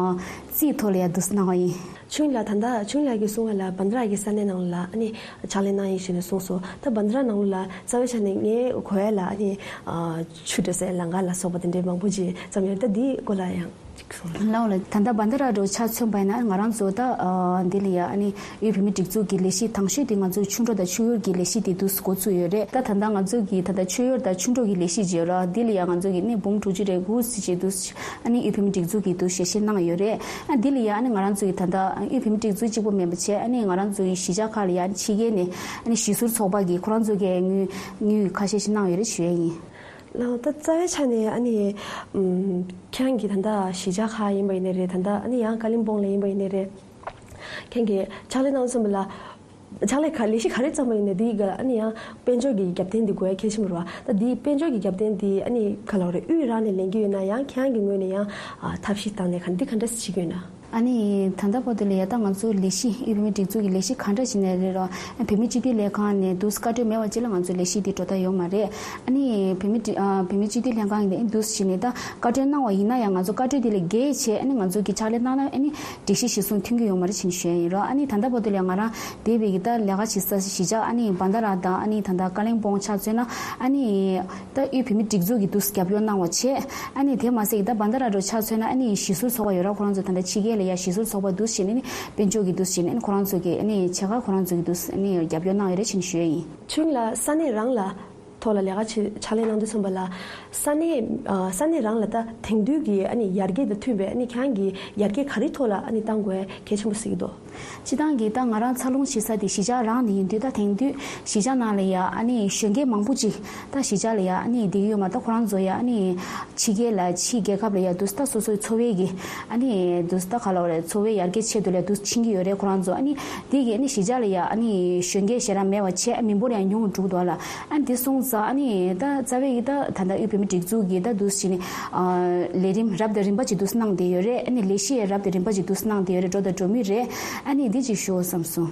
རྩིས་ཐོག་ལ་ཡ་འདུག་སེ་གནང་བ་ཡིན། ཆུང་ལ་ད་ལྟ་ཆུང་ལགས་ཀྱིས་གསུངས་པ་ལ་བན་དྷ་ར་གི་ས་གནས་ནང་ལ་ཨ་ནི་ཕྱག་ལས་གནང་ཡིན་ཞེས་ནས་གསུངས་སོང་། ད་བན་དྷ་ར་ནང་ལ་རྩ་བའི་ཆ་ནས་ངའི་གོ་ཡ་ལ་ཨ་ནི་ཨ་ཆུ་འདྲ་སའི་ལམ་ཁ་ལ་སོགས་པ་དེ་འདྲའི་མང་པོ་ཅིག་ཙམ་ཡོད། ད་འདིའི་སྐོར་ལ་ཡང་ཅིག་གསུངས། ལགས་ལགས། ད་ལྟ་བན་དྷ་ར་འདྲ་ཆ་མཚོན་པ་ཡིན་ན་ང་རང་ཚོ་ད་ཨ་འདི་ལ་ཡ་ཨ་ནི་དབུས་བོད་མིའི་སྒྲིག་འཛུགས་ཀྱི་ལས་གཞི་དང་ཤོས་དེ་ང་ཚོའི་ཆུ་འགྲོ་དང་ཆུ་ཡུར་གྱི་ལས་གཞི་དེ་འདུག་སེ་འགོ་བཙུགས་ཡོད་རེད། ད་ད་ལྟ་ང་ཚོ་གི་ད་ལྟ་ཆུ་ཡུར་དང་ཆུ་འགྲོ་གི་ལས་གཞི་ཅིག་ཡོད་ར། འདི་ལ་ཡ་ང་ཚོ་གི་ནི་འབུམ་དྲུག་ཅུ་རེ་དགུ་ཙམ་ཅིག་འདུག་སེ་ཨ་ནི་དབུས་བོད་མིའི་སྒྲིག་འཛུགས་ཀྱིས་འདུག་སེ་ཞལ་བཞེས་གནང་ཡོད་རེད། ཨ་འདི་ལ་ཡ་ཨ་ནི་ང་རང་ཚོ་གི་ད་ལྟ་དབུས་བོད་མིའི་སྒྲིག་འཛུགས་གཅིག་པོ་མིན་པ་བྱས། ཨ་ནི་ང་རང་ཚོ་གི་གཞིས་ཆགས་ཁག་ལ་ཡ་ཕྱི་རྒྱལ་ནས་ཨ་ནི་གཞིས་ཟུར་ཚོགས་པ་གིས་ཁོ་རང་ཚོ་གི་དངུལ་དངུལ་ཁ་ཤས་ཤིག་གནང་ཡོད་རེད་ཞུ་ཡ་ཡིན། ལགས། ད་རྩ་བའི་ཆ་ནས་ཨ་ནི་ཨམ་ཁྱེད་རང་གི་ད་ལྟ་གཞིས་ཆགས་ཁག་ཡིན་པ་ཡིན་ནའི་རེད། ད་ལྟ་ཨ་ནི་ཡང་ཀ་ལིམ་པོང་ལ་ཡིན་པ་ཡིན་ནའི་རེད། ཁྱེད་རང་གི་ཕྱག་ལས་གནང་ཙམ་པ་ལ་ཕྱག་ལས་ག་ལས་གཞི་ག་རེ་བརྩམས་པ་ཡིན་ནའི་དེའི་སྒང་ལ་ཨ་ནི་ཡང་དཔལ་འབྱོར་གྱི་རྒྱབ་རྟེན་དེ་དགོས་ཡ་གལ་ཆེན་པོ་རེད་བ། ད་དེའི་དཔལ་འབྱོར་གྱི་རྒྱབ་རྟེན་དེ་ཨ་ནི་ག་ལབ་རེད། དབུས་རང་ནས་ལེན་གྱི་ཡོད་ན་ཡང་ཁྱེད་རང་གི་ངོས་ནས་ཡང་ཨ་ཐབས་ཤེས་བཏང་ནས་ག་འདི་ག་འདྲ་སེ་བྱེད་ཀྱི་ཡོད་ན། ཨ་ནི་ད་ལྟ་བར་དུ་ལ་ཡ་ད་ང་ཚོ་ལས་གཞི་དབུས་བོད་མིའི་སྒྲིག་འཛུགས་ཀྱི་ལས་གཞི་ག་འདྲ་ཞིག་ནས་རེད་རོགས། བོད་མིའི་སྤྱི་འཐུས་ལྷན་ཁང་ནས་འདུག་སེ་བཀའ་འཁྲོལ་མེད་པ་ཅིག་ལ་ང་ཚོ་ལས་གཞི་འདི་འགྲོ་ཐབས་ཡོད་མ་རེད། ཨ་ནི་བོད་མིའི་སྒྲིག་ཨ་བོད་མིའི་སྤྱི་འཐུས་ལྷན་ཁང་ནས་འདུག་སེ་བྱས་ནས་ད་བཀའ་འཁྲོལ་གནང་བ་ཡིན་ན་ཡང་ང་ཚོ་བཀའ་འཁྲོལ་དེ་ལས་བརྒལ་བྱས་ཨ་ནི་ང་ཚོ་གི་ཕྱག་ལས་གནང་ན་ཨ་ནི་སྒྲིག་གཞི་གཞིར་བཟུང་མཐུན་གྱི་ཡོད་མ་རེད་ཅེས་ཞུ་ཡ་ཡིན་རོགས། ཨ་ནི་ད་ལྟ་བར་དུ་ལ་ཡ་ང་རང་འདས་པའི་གི་ད་ལས་ཀ་བྱེད་ས་གཞིས་ཆགས་ཨ་ནི་བན་དྷ་ར་དང་ཨ་ནི་ད་ལྟ་ཀ་ལིམ་པོང་ཆ་མཚོན་ན་ཨ་ནི། ད་དབུས་བོད་མིའི་སྒྲིག་འཛུགས་ཀྱིས་འདུག་སེ་རྒྱབ་སྐྱོར་གནང་བ་བྱས། ཨ་ནི་དེ་མ་ཟད་ཀྱི་ད་བན་དྷ་ར་འདྲ་ཆ་མཚོན་ན་ཨ་ནི་གཞིས་ཟུར་ཚོགས་པ་ཡོད་ར། ཁོ་རང་ཚོ་ད་ལྟ་ཕྱི་རྒྱལ་ལ་ཡ་གཞིས་ཟུར་ཚོགས་པ་འདུག་སེ་བྱས་ནས་ནི་དཔལ་འབྱོར་གྱི་འདུག་སེ་བྱས་ནས་ཨ་ནི་ཁོ་རང་ཚོ་གི་ཨ་ནི་ཆེད་མཁས་ཁོ་རང་ཚོ་གིས་འདུག་སེ་ཨ་ནི་རྒྱབ་སྐྱོར་གནང་ཡོད་རེད་ཅེས་ཞུ་ཡ་ཡིན། ཆུང་ལ་ས་གནས་རང་ལ་ཐོག་ལ་ལས་ཀ་བྱེད་ཕྱག་ལས་གནང་དུས་ཙམ་པ་ལ་ས་གནས་ཨ་ས་གནས་རང་ལ་ད་དེང་དུས་ཀྱི་ཨ་ནི་ཡར་རྒྱས་དང་མཐུན་པའི་ཨ་ནི་ཁྱེད་རང་གི་ཡར་རྒྱས་ག་རེ་ཐོག་ལ་ཨ་ནི་གཏང་དགོས་གལ་ཆེན་པོ་གཟིགས་ཀྱི་འདུག་སྤྱིར་བཏང་གི་ད་ང་རང་འཚར་ལོངས་བྱེད་ས་དེ་གཞིས་ཆགས་རང་ནས་ཡིན་དུས། ད་དེང་དུས་གཞིས་ཆགས་ནང་ལ་ཡ་ཨ་ནི་གཞོན་སྐྱེས་མང་པོ་ཅིག་ད་གཞིས་ཆགས་ལ་ཡ་ཨ་ནི་བསྡད་ཀྱི་ཡོད་མ་རེད། ད་ཁོ་རང་ཚོ་ཡ་ཨ་ནི་ཕྱི་རྒྱལ་ལ་ཕྱི་རྒྱལ་ཁབ་ལ་ཡ་འདུག་སེ་ད་སོ་སོའི་འཚོ་བའི་གི་ཨ་ནི་འདུག་སེ་ད་ག་ལབ་རེད། འཚོ་བའི་ཡར་རྒྱས་ཆེད་དུ་ལ་ཡ་འདུག་སེ་ཕྱིན་གྱི་ཡོད་རེད་ཁོ་རང་ཚོ། ཨ་ནི་དེ་གི་ཨ་ནི་གཞིས་ཆགས་ལ་ཡ་ཨ་ནི་གཞོན་སྐྱེས་ཞེ་དྲག་མེད་པ་བྱས། མི་འབོར་ཡང་ཉུང་རུ་འགྲོ་གི་འདུག་ལ། ཨ་ནི་དེ་སོང་ཙང་ཨ་ནི་ད་རྩ་བའི་གི་ད་ད་ལྟ་དབུས་བོད་མིའི་སྒྲིག་འཛུགས་ཀྱི་ད་འདུག་སེ་བྱས་ནས་ཨ་ལས་རིམ་རབ་དང་རིམ་པ་ཅིག་འདུག་སེ་གནང་བསྡད་ཡོད་རེད། ཨ་ནི་ལས་གཞི་ཡང་རབ་དང་རིམ་པ་ཅིག་འདུག་སེ་གནང་བསྡད་ཡོད་རེད། འགྲོ་དང་འགྲོ་མུས་རེད། ཨ་ནི་འདི་ཅིག་ཞུ་བསམ་སོང་།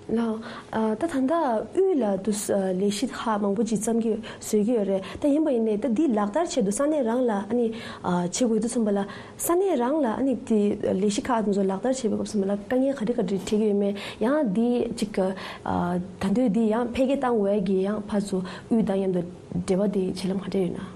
ལགས། ཨ་ད་ད་ལྟ་དབུས་ལ་དུ་ལས་གཞི་ཁག་མང་པོ་ཅིག་བརྩམས་ཀྱི་བཟོས་ཀྱི་ཡོད་རེད། ད་ཡིན་པ་ཡིན་ནའི་ད་འདི་ལག་བསྟར་ཆེད་དུ་ས་གནས་རང་ལ་ཨ་ནི་ཨ་བྱེད་དགོས་དུས་ཙམ་པ་ལ་ས་གནས་རང་ལ་ཨ་ནི་དེ་ལས་གཞི་ཁག་དེ་ཚོ་ལག་བསྟར་བྱེད་པའི་སྐབས་ཙམ་པ་ལ་དཀའ་ངལ་ག་རེ་ག་རེ་འཕྲད་ཀྱི་ཡོད་མེད། ཡང་འདི་ཅིག་ཨ་ད་དུང་འདི་ཡང་འཕེལ་རྒྱས་གཏང་དགོས་ཀྱི་ཡང་ཕར་ཚུར་དབུས་དང་མཉམ་དུ་འབྲེལ་བ་དེ་བྱེད་ལམ་ག་འདྲ་ཡོད་ན།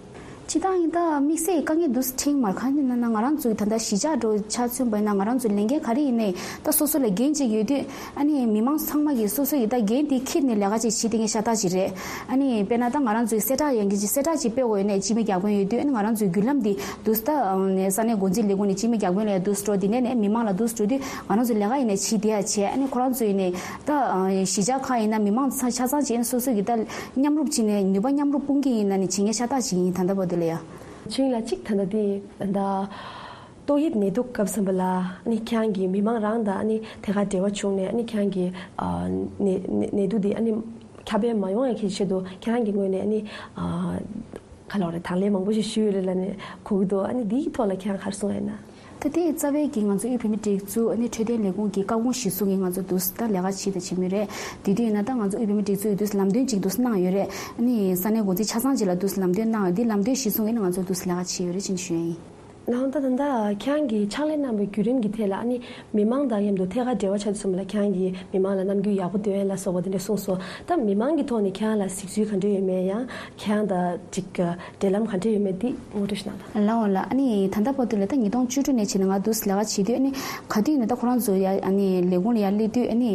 སྤྱིར་བཏང་ཡིན་ད་དམིགས་བསལ་གྱི་དཀའ་ངལ་འདུག་སེ་འཕྲད་མ་རེད། གང་ཡིན་ན་ང་རང་ཚོའི་ད་ལྟ་གཞིས་ཆགས་འདྲ་ཆ་མཚོན་པ་ཡིན་ན་ང་རང་ཚོའི་ལས་འགན་ག་རེ་ཡིན་ནའི་ད་སོ་སོ་ལ་འགན་ཅིག་ཡོད་དུས་ཨ་ནི་མི་མང་ཚང་མ་གིས་སོ་སོ་ཡི་ད་འགན་དེ་འཁྱེར་ནས་ལས་ཀ་ཅིག་བྱེད་བསྡད་མཁན་ཤ་སྟག་ཅིག་རེད། ཨ་ནི་དཔེར་ན་ད་ང་རང་ཚོའི་གསལ་བསྒྲགས་ཡང་གི་ཅིག་གསལ་བསྒྲགས་ཅིག་སྤེལ་དགོས་ཡོད་ནའི་སྤྱི་མི་བརྒྱ་དཔོན་ཡོད་དུས་ཨ་ནི་ང་རང་ཚོའི་བརྒྱུད་ལམ་དེ་འདུག་སེ་ད་ས་གནས་འགོ་འཛིན་ལས་ཁུངས་ནས་སྤྱི་མི་བརྒྱ་དཔོན་ལ་ཡང་འདུག་སེ་འགྲོ། དེ་ནས་ནས་མི་མང་ལ་འདུག་སེ་འགྲོ་དུས་ང་རང་ཚོའི་ལས་ཀ་ཡིན་ནའི་བྱེད་བསྡད་ཡ་བྱས། ཨ་ནི་ཁོ་རང་ཚོ་ཡིན་ནའི་ད་གཞིས་ཆགས་ཁག་ཡིན་ན་མི་མང་ཆ་ཆ་ཚང་ཅིག་ཡིན་སོ་སོ་གི་ད། མཉམ་རུབ་བྱས་ནས་ནུས་པ་མཉམ་རུབ་སྤུངས་ཀྱི་ཡིན་ན་ནི་བྱེད་མཁན་ཤ་སྟག་ཅིག་ཡིན་ད་ལྟ་བར་དུ་ལ་ཡ། ཆུང་ལ་གཅིག་ད་ལྟ་དེ་ད་ལྟ་ཏོག་དབྱིབས་ནད་དུག་སྐབས་ཙམ་པ་ལ་ནི་ཁྱེད་རང་གི་མི་མང་རང་དང་ནི་ཐད་ཀར་འབྲེལ་བ་བྱུང་ནས་ནི་ཁྱེད་རང་གི་ཨ་ནད་ནད་ནད་དུག་དེ་ཨ་ནི་ཁྱབ་སྤེལ་མ་ཡོང་ཡ་གི་ཆེད་དུ་ཁྱེད་རང་གི་ངོས་ནས་ནི་ཨ་ག་ལབ་རེད། དང་ལེན་མང་པོ་ཞིག་ཞུས་ཡོད་རེད་ལབ་ནས་གོ་གི་འདུག་ཨ་ནི་འདིའི་ཐོག་ལ་ཁྱེད་རང་ག་རེ་གསུང་ཡ་ཡིན་ན། ད་དེ་རྩ་བའི་གི་ང་ཚོ་དབུས་བོད་མིའི་སྒྲིག་འཛུགས་ཨ་ནི་འཕྲོད་བསྟེན་ལས་ཁུངས་ཀྱི་བཀའ་དགོངས་གཞིར་བཟུང་གི་ང་ཚོ་འདུག་ད་ལས་ཀ་བྱེད་དང་བྱེད་མུས་རེད། དེ་དུས་ཡིན་ན་ད་ང་ཚོ་དབུས་བོད་མིའི་སྒྲིག་འཛུགས་ཡི་འདུག་ལམ་སྟོན་ཅིག་འདུག་གནང་ཡོད་རེད། ཨ་ནི་ས་གནས་འགོ་འཛིན་ཆ་ཚང་ཅིག་ལ་འདུག་ལམ་སྟོན་གནང་ཡོད། དེ་ལམ་སྟོན་གཞིར་བཟུང་གི་ནི་ང་ཚོ་འདུག་ལས་ཀ་བྱེད་ཡོད་རེད་ཅེས་ཞུ་ཡ་ཡིན། ལགས་ད་ད་ལྟ་ཁྱེད་རང་གིས་ཕྱག་ལས་གནང་བའི་བརྒྱུད་རིམ་གྱི་ཐད་ལ་ཨ་ནི་མི་མང་དང་མཉམ་དུ་ཐད་ཀར་འབྲེལ་བ་བྱ་དུས་ཙམ་ལ་ཁྱེད་རང་གིས་མི་མང་ལ་རྣམ་འགྱུར་ཡག་པོ་སྟོན་ཡ་ལ་སོགས་པ་དེ་འདྲ་གསུངས་སོང་། ད་མི་མང་གི་ཐོག་ནས་ཁྱེད་རང་ལ་གཟིགས་ཚུལ་ག་འདྲ་ཡོད་མེད་ཡང་ཁྱེད་རང་དང་ཅིག་འབྲེལ་ལམ་ག་འདྲ་ཡོད་མེད་འདི་ངོ་སྤྲོད་ཞིག་གནང་དང་། ལགས་འོང་ལགས། ཨ་ནི་ད་ལྟ་བར་དུ་ལ་ད་ཉིས་སྟོང་བཅུ་དྲུག་ནས་བྱས་ནས་ང་འདུག་ལས་ཀ་བྱེད་དུས་ཨ་ནི་ག་དུས་ཡིན་ན་ད་ཁོ་རང་ཚོ་ཡ་ཨ་ནི་ལས་ཁུངས་ལ་ཡ་སླེབས་དུས་ཨ་ནི་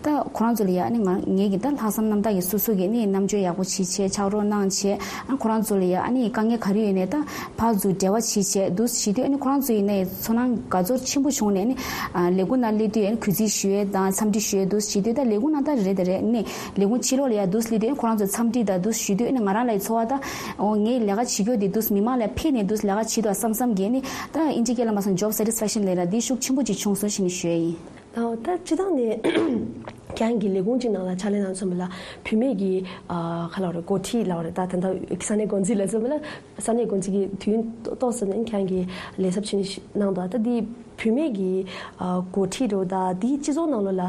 ད་ཁོ་རང་ཚོ་ལ་ཡ་ཨ་ནི་ང་ངེད་ཀྱི་ད་ལྷག་བསམ་རྣམ་དག་གིས་སོ་སོ་གིས་ཨ་ནི་རྣམ་འགྱུར་ཡག་པོ་བྱེད་བྱས་ཕྱག་རོགས་གནང་བྱས། ཨ་ཁོ་རང་ཚོ་ལ་ཡ་ཨ་ནི་དཀའ་ངལ་ག་རེ་ཡོད་ནའི་ད་ཕར་ཚུར་འབྲེལ་བ་བྱེད་བྱས་འདུག་བྱེད་དུས་ཨ་ནི་ཁོ་རང་ཚོ་ཡིན་ནའི་ཚོར་སྣང་དགའ་ཚོར་ཆེན་པོ་བྱུང་ནས་ཨ་ནི་ལས་ཁུངས་ནང་སླེབས་དུས་ཨ་ནི་གུས་བརྩི་ཞུ་ཡས་དང་འཚམས་འདྲི་ཞུ་ཡས་འདུག་བྱེད་དུས་ད་ལས་ཁུངས་ནང་ད་རེད་ད་རེད་ཨ་ནི་ལས་ཁུངས་ཕྱི་ལོགས་ལ་ཡ་འདུག་སླེབས་དུས་ཨ་ནི་ཁོ་རང་ཚོ་འཚམས་འདྲི་དང་འདུག་ཞུ་དུས་ཨ་ནི་ང་རང་ལ་ཡ་ཚོར་བ་ད་ཨོ་ངས་ལས་ཀ་བྱེད་རྒྱུ་དེ་འདུག་མི་མང་ལ་ཕེབས་ནས་འདུག་ལས་ཀ་བྱེད་དུས་བསམ་བསམ་གྱིས་ཨ་ནི་ད་ཨིན་ཇི་སྐད་ལ་མ་སོང་job satisfaction letter་འདི་ཤུགས་ཆེན་པོ་ཅིག་བྱུང་སོང་ཞེས་ནས་ཞུ་ཡས་ཡིན། ད་ད་སྤྱིར་བཏང་ནས་ཁྱེད་རང་གི་ལས་ཁུངས་གཅིག་ནང་ལ་ཕྱག་ལས་གནང་ཚུན་པ་ལ་བུད་མེད་ཀྱི་ཨ་ག་ལབ་རེད་འགོ་ཁྲིད་ལབ་རེད་ད་ད་ལྟ་ས་གནས་འགོ་འཛིན་ལབ་ཚུན་པ་ལ་ས་གནས་འགོ་འཛིན་གྱི་དུས་ཡུན་ཏོག་ཙམ་ནས་ཁྱེད་རང་གི་ལས་ཚབ་བྱས་ནས་གནང་འདུག་ད་འདི་བུད་མེད་ཀྱི་ཨ་འགོ་ཁྲིད་འདྲ་བོ་ད་འདི་སྤྱི་ཚོགས་ནང་ལོགས་ལ་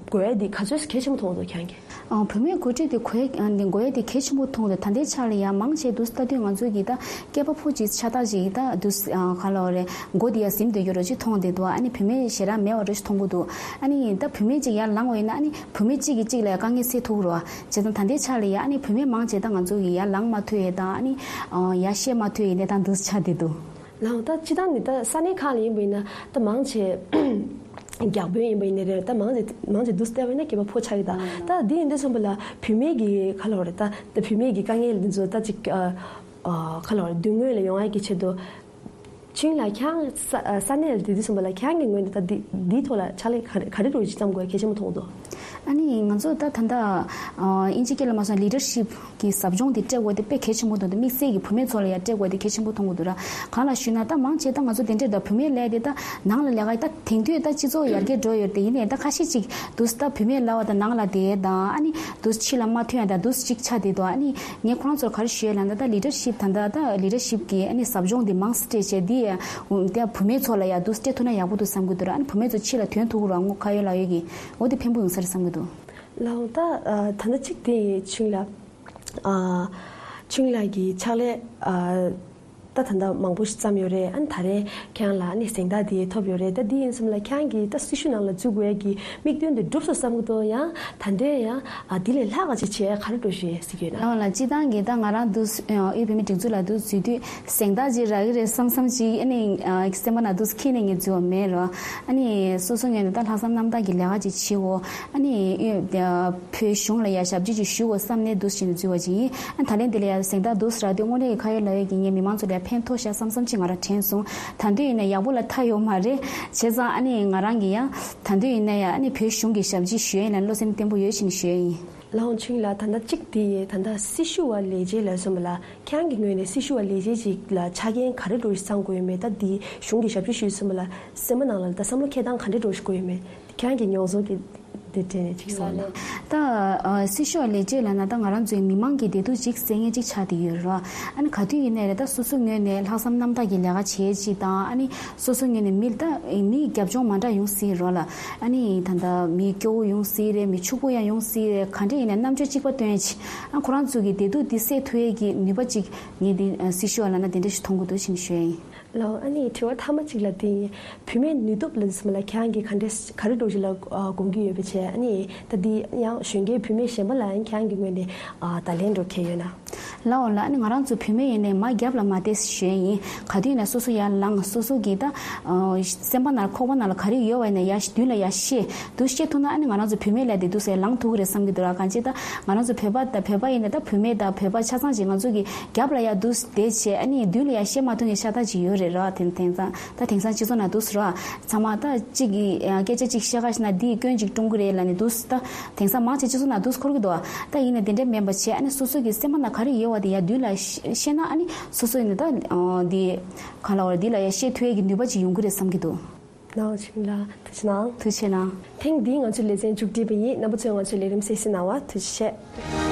དགོས་ཡ་འདི་ག་ཚོད་གལ་ཆེན་པོ་མཐོང་འདུག་ཁྱེད་རང་གིས། ཨ་བུད་མེད་འགོ་ཁྲིད་དེ་དགོས་ཡ་འདི་དགོས་ཡ་དེ་གལ་ཆེན་པོ་མཐོང་འདུག་ད་ལྟའི་ཆར་ལ་ཡ་མང་ཆེ་འདུག་ལྟ་དུས་ང་ཚོ་གི་ད་སྐྱེས་པ་ཕོ་གཅིག་ཆགས་སྟངས་ཅིག་ད་འདུག་ཨ་ག་ལབ་རེད་མགོ་དེ་ཡ་ཟིན་བསྡད་ཡོད་རོ་ཅིག་མཐོང་བསྡད་འདུག་ཨ་ནི་བུད་མེད་ཞེ་དྲག་མེད་པ་རོ་ཅིག་མཐོང་གི་འདུག་ཨ་ནི་ད་བུད་མེད་ཅིག་ཡར་ལངས་པ་ཡིན་ན་ཨ་ནི་བུད་མེད་གཅིག་གིས་གཅིག་ལ་ཡ་དཀའ་ངལ་སེལ་ཐུབ་རོ། བྱས་ཙང་ད་ལྟའི་ཆར་ལ་ཡ་ཨ་ནི་བུད་མེད་མང་ཆེ་ད་ང་ཚོ་གི་ཡར་ལངས་མ་ཐུབ་ཡ་དང་ཨ་ནི་ཡར་བཤད་མ་ཐུབ་ཡ་གནས་སྟངས་འདུག་ཆགས་བསྡད་འདུག་ལགས་ད་སྤྱིར་བཏང་ནི་ད་ས་གནས་ཁག་ལ་ཡིན་པ་ཡིན་ན་ད་མང་ཆེ་རྒྱ་དཔོན་ཡིན་པ་ཡིན་ནའི་རེད་ད་མང་ཆེ་མང་ཆེ་འདུག་སེ་བལྟས་པ་ཡིན་ན་སྐྱེས་པ་ཕོ་ཆགས་ཀྱི་ད་ད་འདི་ཡིན་དུས་ཙམ་པ་ལ་བུད་མེད་ཀྱི་ག་ལབ་རེད་ད་ད་བུད་མེད་ཀྱི་དཀའ་ངལ་འདི་ཚོ་ད་ཅིག་ཨ་ཨ་ག་ལབ་རེད་མདུན་ངོས་ལ་ཡོང་ཡ་གི་ཆེད་དུ་ཆུང་ལགས་ཁྱེད་རང་ས་ས་གནས་ལ་བསྡད་དུས་ཙམ་པ་ལ་ཁྱེད་རང་གི་ངོས་ནས་ད་འདི་འདིའི་ཐོག་ལ་ཕྱག་ལས་ག་རེ་ག་རེ་འདྲ་བོ་ཅིག་བརྩམ་དགོས་གལ་ཆེན་པོ་མཐོང་འདུག་ཨ་ནི་ང་ཚོ་ད་ད་ལྟ་ཨིན་ཇི་སྐད་ལ་མ་སོང་ལི་ཌར་ཤིབ་ཀྱི་ཟབ་སྦྱོང་དེ་སྤྲད་དགོས་དེ་དཔེ་གལ་ཆེན་པོ་འདུག་དེ་དམིགས་བསལ་གྱི་བུད་མེད་ཚོ་ལ་ཡང་སྤྲད་དགོས་དེ་གལ་ཆེན་པོ་མཐོང་གི་འདུག་ར། གང་ལ་ཞུས་ན་ད་མང་ཆེ་ད་ང་ཚོ་དེ་འདྲས་ད་བུད་མེད་ལས་དེ་ད་ནང་ལ་ལས་ཀ་ད་དེང་དུས་ད་སྤྱི་ཚོགས་ཡར་རྒྱས་འགྲོ་ཡོད་དེ་ཡིན་ནའི་ད་ཁ་ཤས་ཅིག་འདུག་ད་བུད་མེད་ལ་བ་ད་ནང་ལ་དེ་ད་ཨ་ནི་འདུག་ཕྱི་ལ་མ་ཐོན་ཡ་ད་འདུག་ཅིག་ཆགས་བསྡད་འདུག་ཨ་ནི་ངས་ཁོ་རང་ཚོར་ག་རེ་ཞུ་ཡ་ལབ་ན་ད་ལི་ཌར་ཤིབ་ད་ད་ད་ལི་ཌར་ཤིབ་ཀྱི་ཨ་ནི་ཟབ་སྦྱོང་དེ་མང་སེ་སྤྲད་བྱས་དེ་ཡ་ད་བུད་མེད་ཚོ་ལ་ཡ་འདུག་སྤྲད་ཐུབ་ན་ཡག་པོ་འདུག་བསམ་གི་འདུག་ར། ཨ་ནི་བུད་མེད་ཚོ་ཕྱི་ལ་ཐོན་ཐུབ་ར་ངོ་ཁ་ཡོད་ལག་ཡོད་ཀྱི་འོ་དེ་ཕན་པོ་ཡོང་ས་རེད་བསམ་གི་འདུག་ལགས་འོང་ད་ཨ་ད་ལྟ་གཅིག་དེ་ཆུང་ལགས་ཨ་ཆུང་ལགས་ཀྱི་ཕྱག་ལས་ཨ་ད་ད་ལྟ་མང་པོ་ཞིག་བརྩམས་ཡོད་རེད། ཨ་ནི་ད་རེས་ཁྱེད་རང་ལ་ཨ་ནི་གཟེངས་རྟགས་དེ་ཐོབ་ཡོད་རེད། ད་འདི་ཡིན་སོང་ལ་ཁྱེད་རང་གིས་ད་སྲི་ཞུ་ནང་ལ་འཛུལ་དགོས་ཡ་གི་དམིགས་དོན་དེ་འགྲུབ་སོང་བསམ་གི་འདུག་ཡང་ད་འདྲའི་ཡང་ཨ་འདི་ལས་ལྷག་ག་ཅིག་བྱེད་ཡ་ག་རེ་འགྲོ་ཞེས་ཟེར་གྱི་ཡོད་ན། ལགས་ལགས་སྤྱིར་བཏང་གི་ད་ང་རང་འདུག་ཨ་དབུས་བོད་མིའི་སྒྲིག་འཛུགས་ལ་འདུག་འཛུལ་དུས་གཟེངས་རྟགས་ཅིག་རག་གི་རེད་བསམ་བསམ་ཅིག་ཨ་ནི་ཨ་སེམས་པ་ནང་འདུག་འཁྱེར་ནས་ངས་འཛུལ་བ་མེད་རོ། ཨ་ནི་སོ་སོ་ངོས་ནས་ད་ལྷག་བསམ་རྣམ་དག་གི་ལས་ཀ་ཅིག་བྱེད་འོ། ཨ་ནི་ཨ་བོད་གཞུང་ལ་ཡ་ཞབས་ཕྱི་ཅིག་ཞུ་འོ་བསམ་ནས་འདུག་བྱས་ནས་འཛུལ་བ་ཅིག་ཡིན། ཨ་ད་ལན་འདི་ལ་ཡ་གཟེངས་རྟགས་འདུག་རག་དུས་དངོས་གནས་ཀྱི་ཁ་ཡོད་ལག་ཡོད་ཀྱི་ངས་མི་མང་ཚོ་ལ་ཡ་ཕན་ཐོགས་ཤག་བསམ་བསམ་ཅིག་ང་རང་དྲན་སོང་། ད་དུང་ཡིན་ན་ཡག་པོ་ལ་མཐའ་ཡོད་མ་རེད། བྱས་ཙང་ཨ་ནི་ང་རང་གི་ཡ་ད་དུང་ཡིན་ན་ཡ་ཨ་ནི་བོད་གཞུང་གི་ཞབས་ཕྱི་ཞུ་ཡ་ལ་བློ་སེམས་བརྟན་པོ་ཡོད་བཞིན་ཞུ་ཡ་ཡིན། ལགས་འོང་ཆུང་ལགས། ད་ལྟ་གཅིག་དེ་ཡིན། ད་ལྟ་སྲི་ཞུ་བ་ལས་བྱེད་ལབ་སོང་བ་ལ་ཁྱེད་རང་གི་ངོས་ནས་སྲི་ཞུ་བ་ལས་བྱེད་ཅིག་ལ་ཆ་རྐྱེན་ག་རེ་འདྲ་ཞིག་ཚང་དགོས་ཡོད་མེད། ད་འདི་གཞུང་གི་ཞབས་ཕྱི་ཞུས་སོང་བ་ལ་སེམས་པ་ནང་ལ་ད་བསམ་བློ་འཁྱེར་སྟངས་ག་འདྲ་འདྲ་ཞིག་དགོས་ཡོད་མེད། ཁྱེད་རང་གི་མྱོང་ཚོར་གྱི་དེ་འདྲ་ཅིག་གསུང་ན། ད་ཨ་སྲི་ཞུ་བ་ལས་བྱེད་ལབ་ན་ད་ང་རང་ཚོའི་མི་མང་གི་བདེ་སྡུག་ཅིག་གསལ་མཁན་ཅིག་ཆགས་བསྡད་ཡོད་རེད་བ། ཨ་ནི་ག་དུས་ཡིན་ནའི་རེད་ད་སོ་སོ་ངོས་ནས་ལྷག་བསམ་རྣམ་དག་གི་ལས་ཀ་བྱེད་ཅིག་དང་ཨ་ནི་སོ་སོ་ངོས་ནས་མི་ད་མིའི་རྒྱབ་ལྗོངས་མ་འདྲ་ཡོང་སྲིད་རོགས་ལ། ཨ་ནི་ད་ལྟ་མི་སྐྱོ་བོ་ཡོང་སྲིད་རེད། མི་ཕྱུག་པོ་ཡང་ཡོང་སྲིད་རེད། ག་འདྲ་ཡིན་ནའི་རྣམ་དཔྱོད་གཅིག་པ་སྟོན་ཡ་ཅིག་ཨ་ཁོ་རང་ཚོ་གི་བདེ་སྡུག་འདི་སེལ་ཐུབ་ཡས་ཀྱི་ནུས་པ་ཅིག་ངས་འདི་སྲི་ཞུ་བ་ལབ་ན་དེ་འདྲ་ཞིག་མཐོང་གི་འདུག་ཅེས་ཞུ་ཡ་ཡིན། ལགས་ཨ་ནི་དྲི་བ་མཐའ་མ་གཅིག་ལ་དེ་ཡིན། བུད་མེད་ནུས་སྟོབས་ལ་ཟེར་མ་ལ་ཁྱེད་རང་གིས་ག་འདྲ་ག་རེ་འདྲ་ཞིག་ལ་དགོངས་ཀྱི་ཡོད་པ་བྱས། ཨ་ནི་ད་འདི་ཡང་གཞོན་སྐྱེས་བུད་མེད་གཞན་པ་ལ་ཡང་ཁྱེད་རང་གི་ངོས་ནས་བརྡ་ལན་འདྲ་གང་ཡོད་ན། ལགས་འོ་ལགས། ཨ་ནི་ང་རང་ཚོ་བུད་མེད་ཡིན་ནའི་མ་རྒྱབ་ལ་མ་བལྟས་ཞུ་ཡ་ཡིན། ག་དུས་ཡིན་ན་སོ་སོ་ཡར་ལངས། སོ་སོ་གི་ད་སེམས་པ་ནང་ཁོག་པ་ནང་ལ་ག་རེ་ཡོད་པ་ཡིན་ན་ཡར་མདུན་ལ་ཡར་བཤད། འདུག་བཤད་ཐུབ་ན་ཨ་ནི་ང་རང་ཚོ་བུད་མེད་ལས་དེ་འདུག་སེ་ལངས་ཐུབ་ཀྱི་རེད་བསམ་གྱི་འདུག་ར། གང་ཅི་ད་ང་རང་ཚོ་བོད་པ་དང་བོད་པ་ཡིན་ན་ད་བུད་མེད་དང་བོད་པ་ཆ་ཚང་ཅིག་ང་ཚོ་གི་རྒྱབ་ལ་ཡར་འདུག་བསྡད་བྱས་ཨ་ནི་མདུན་ལ་ཡར་བཤད་མ་ཐུབ་མཁན་ཤ་སྟག་ཅིག་ཡོད་རེད་ར། དེང་དེང་སང་ད་དེང་སང་སྤྱི་ཚོགས་ནང་འདུག་སེ་ར། ཚང་མ་ད་གཅིག་གིས་སྐད་ཆ་གཅིག་བཤད་ག་ཞིག་ན་འདིས་སྐྱོན་ཅིག་བསྐྲུན་གྱི་རེད་ལབ་ནས་འདུག་སེ་ད་དེང་སང་མང་ཆེ་སྤྱི་ཚོགས་ནང་འདུག་སེ་འཁོར་གྱི་འདུག་ད་ཡིན་ནའི་དེ་འདྲ་མིན་པ་བྱས་ཨ་ནི་སོ་སོ་གི་སེམས་པ་ནང་ག་རེ་ཡོད་པ་དེ་ཡར་མདུན་ལ་བཤད་ན་ཨ་ནི་སོ་སོ་ཡིན་ན་ད་འདི་གང་ལབ་དགོས་རེད། འདི་ལ་ཡར་བཤད་ཐུབ་ཡས་ཀྱི་ནུས་པ་ཅིག་ཡོང་གི་རེད་བསམ་གྱི་འདུག་ནང་ཆིང་ལ་ཐུགས་རྗེ་གནང་། ཐུགས་རྗེ་གནང་། ཐེངས་འདིའི་ང་ཚོའི་ལེ་ཚན་མཇུག་སྒྲིལ་བ་ཡིན། རྣམ་པ་ཚོས་ང་ཚོའི་ལས་རིམ་གསན་གཟིགས་གནང་བར་ཐུགས་རྗེ་ཆེ།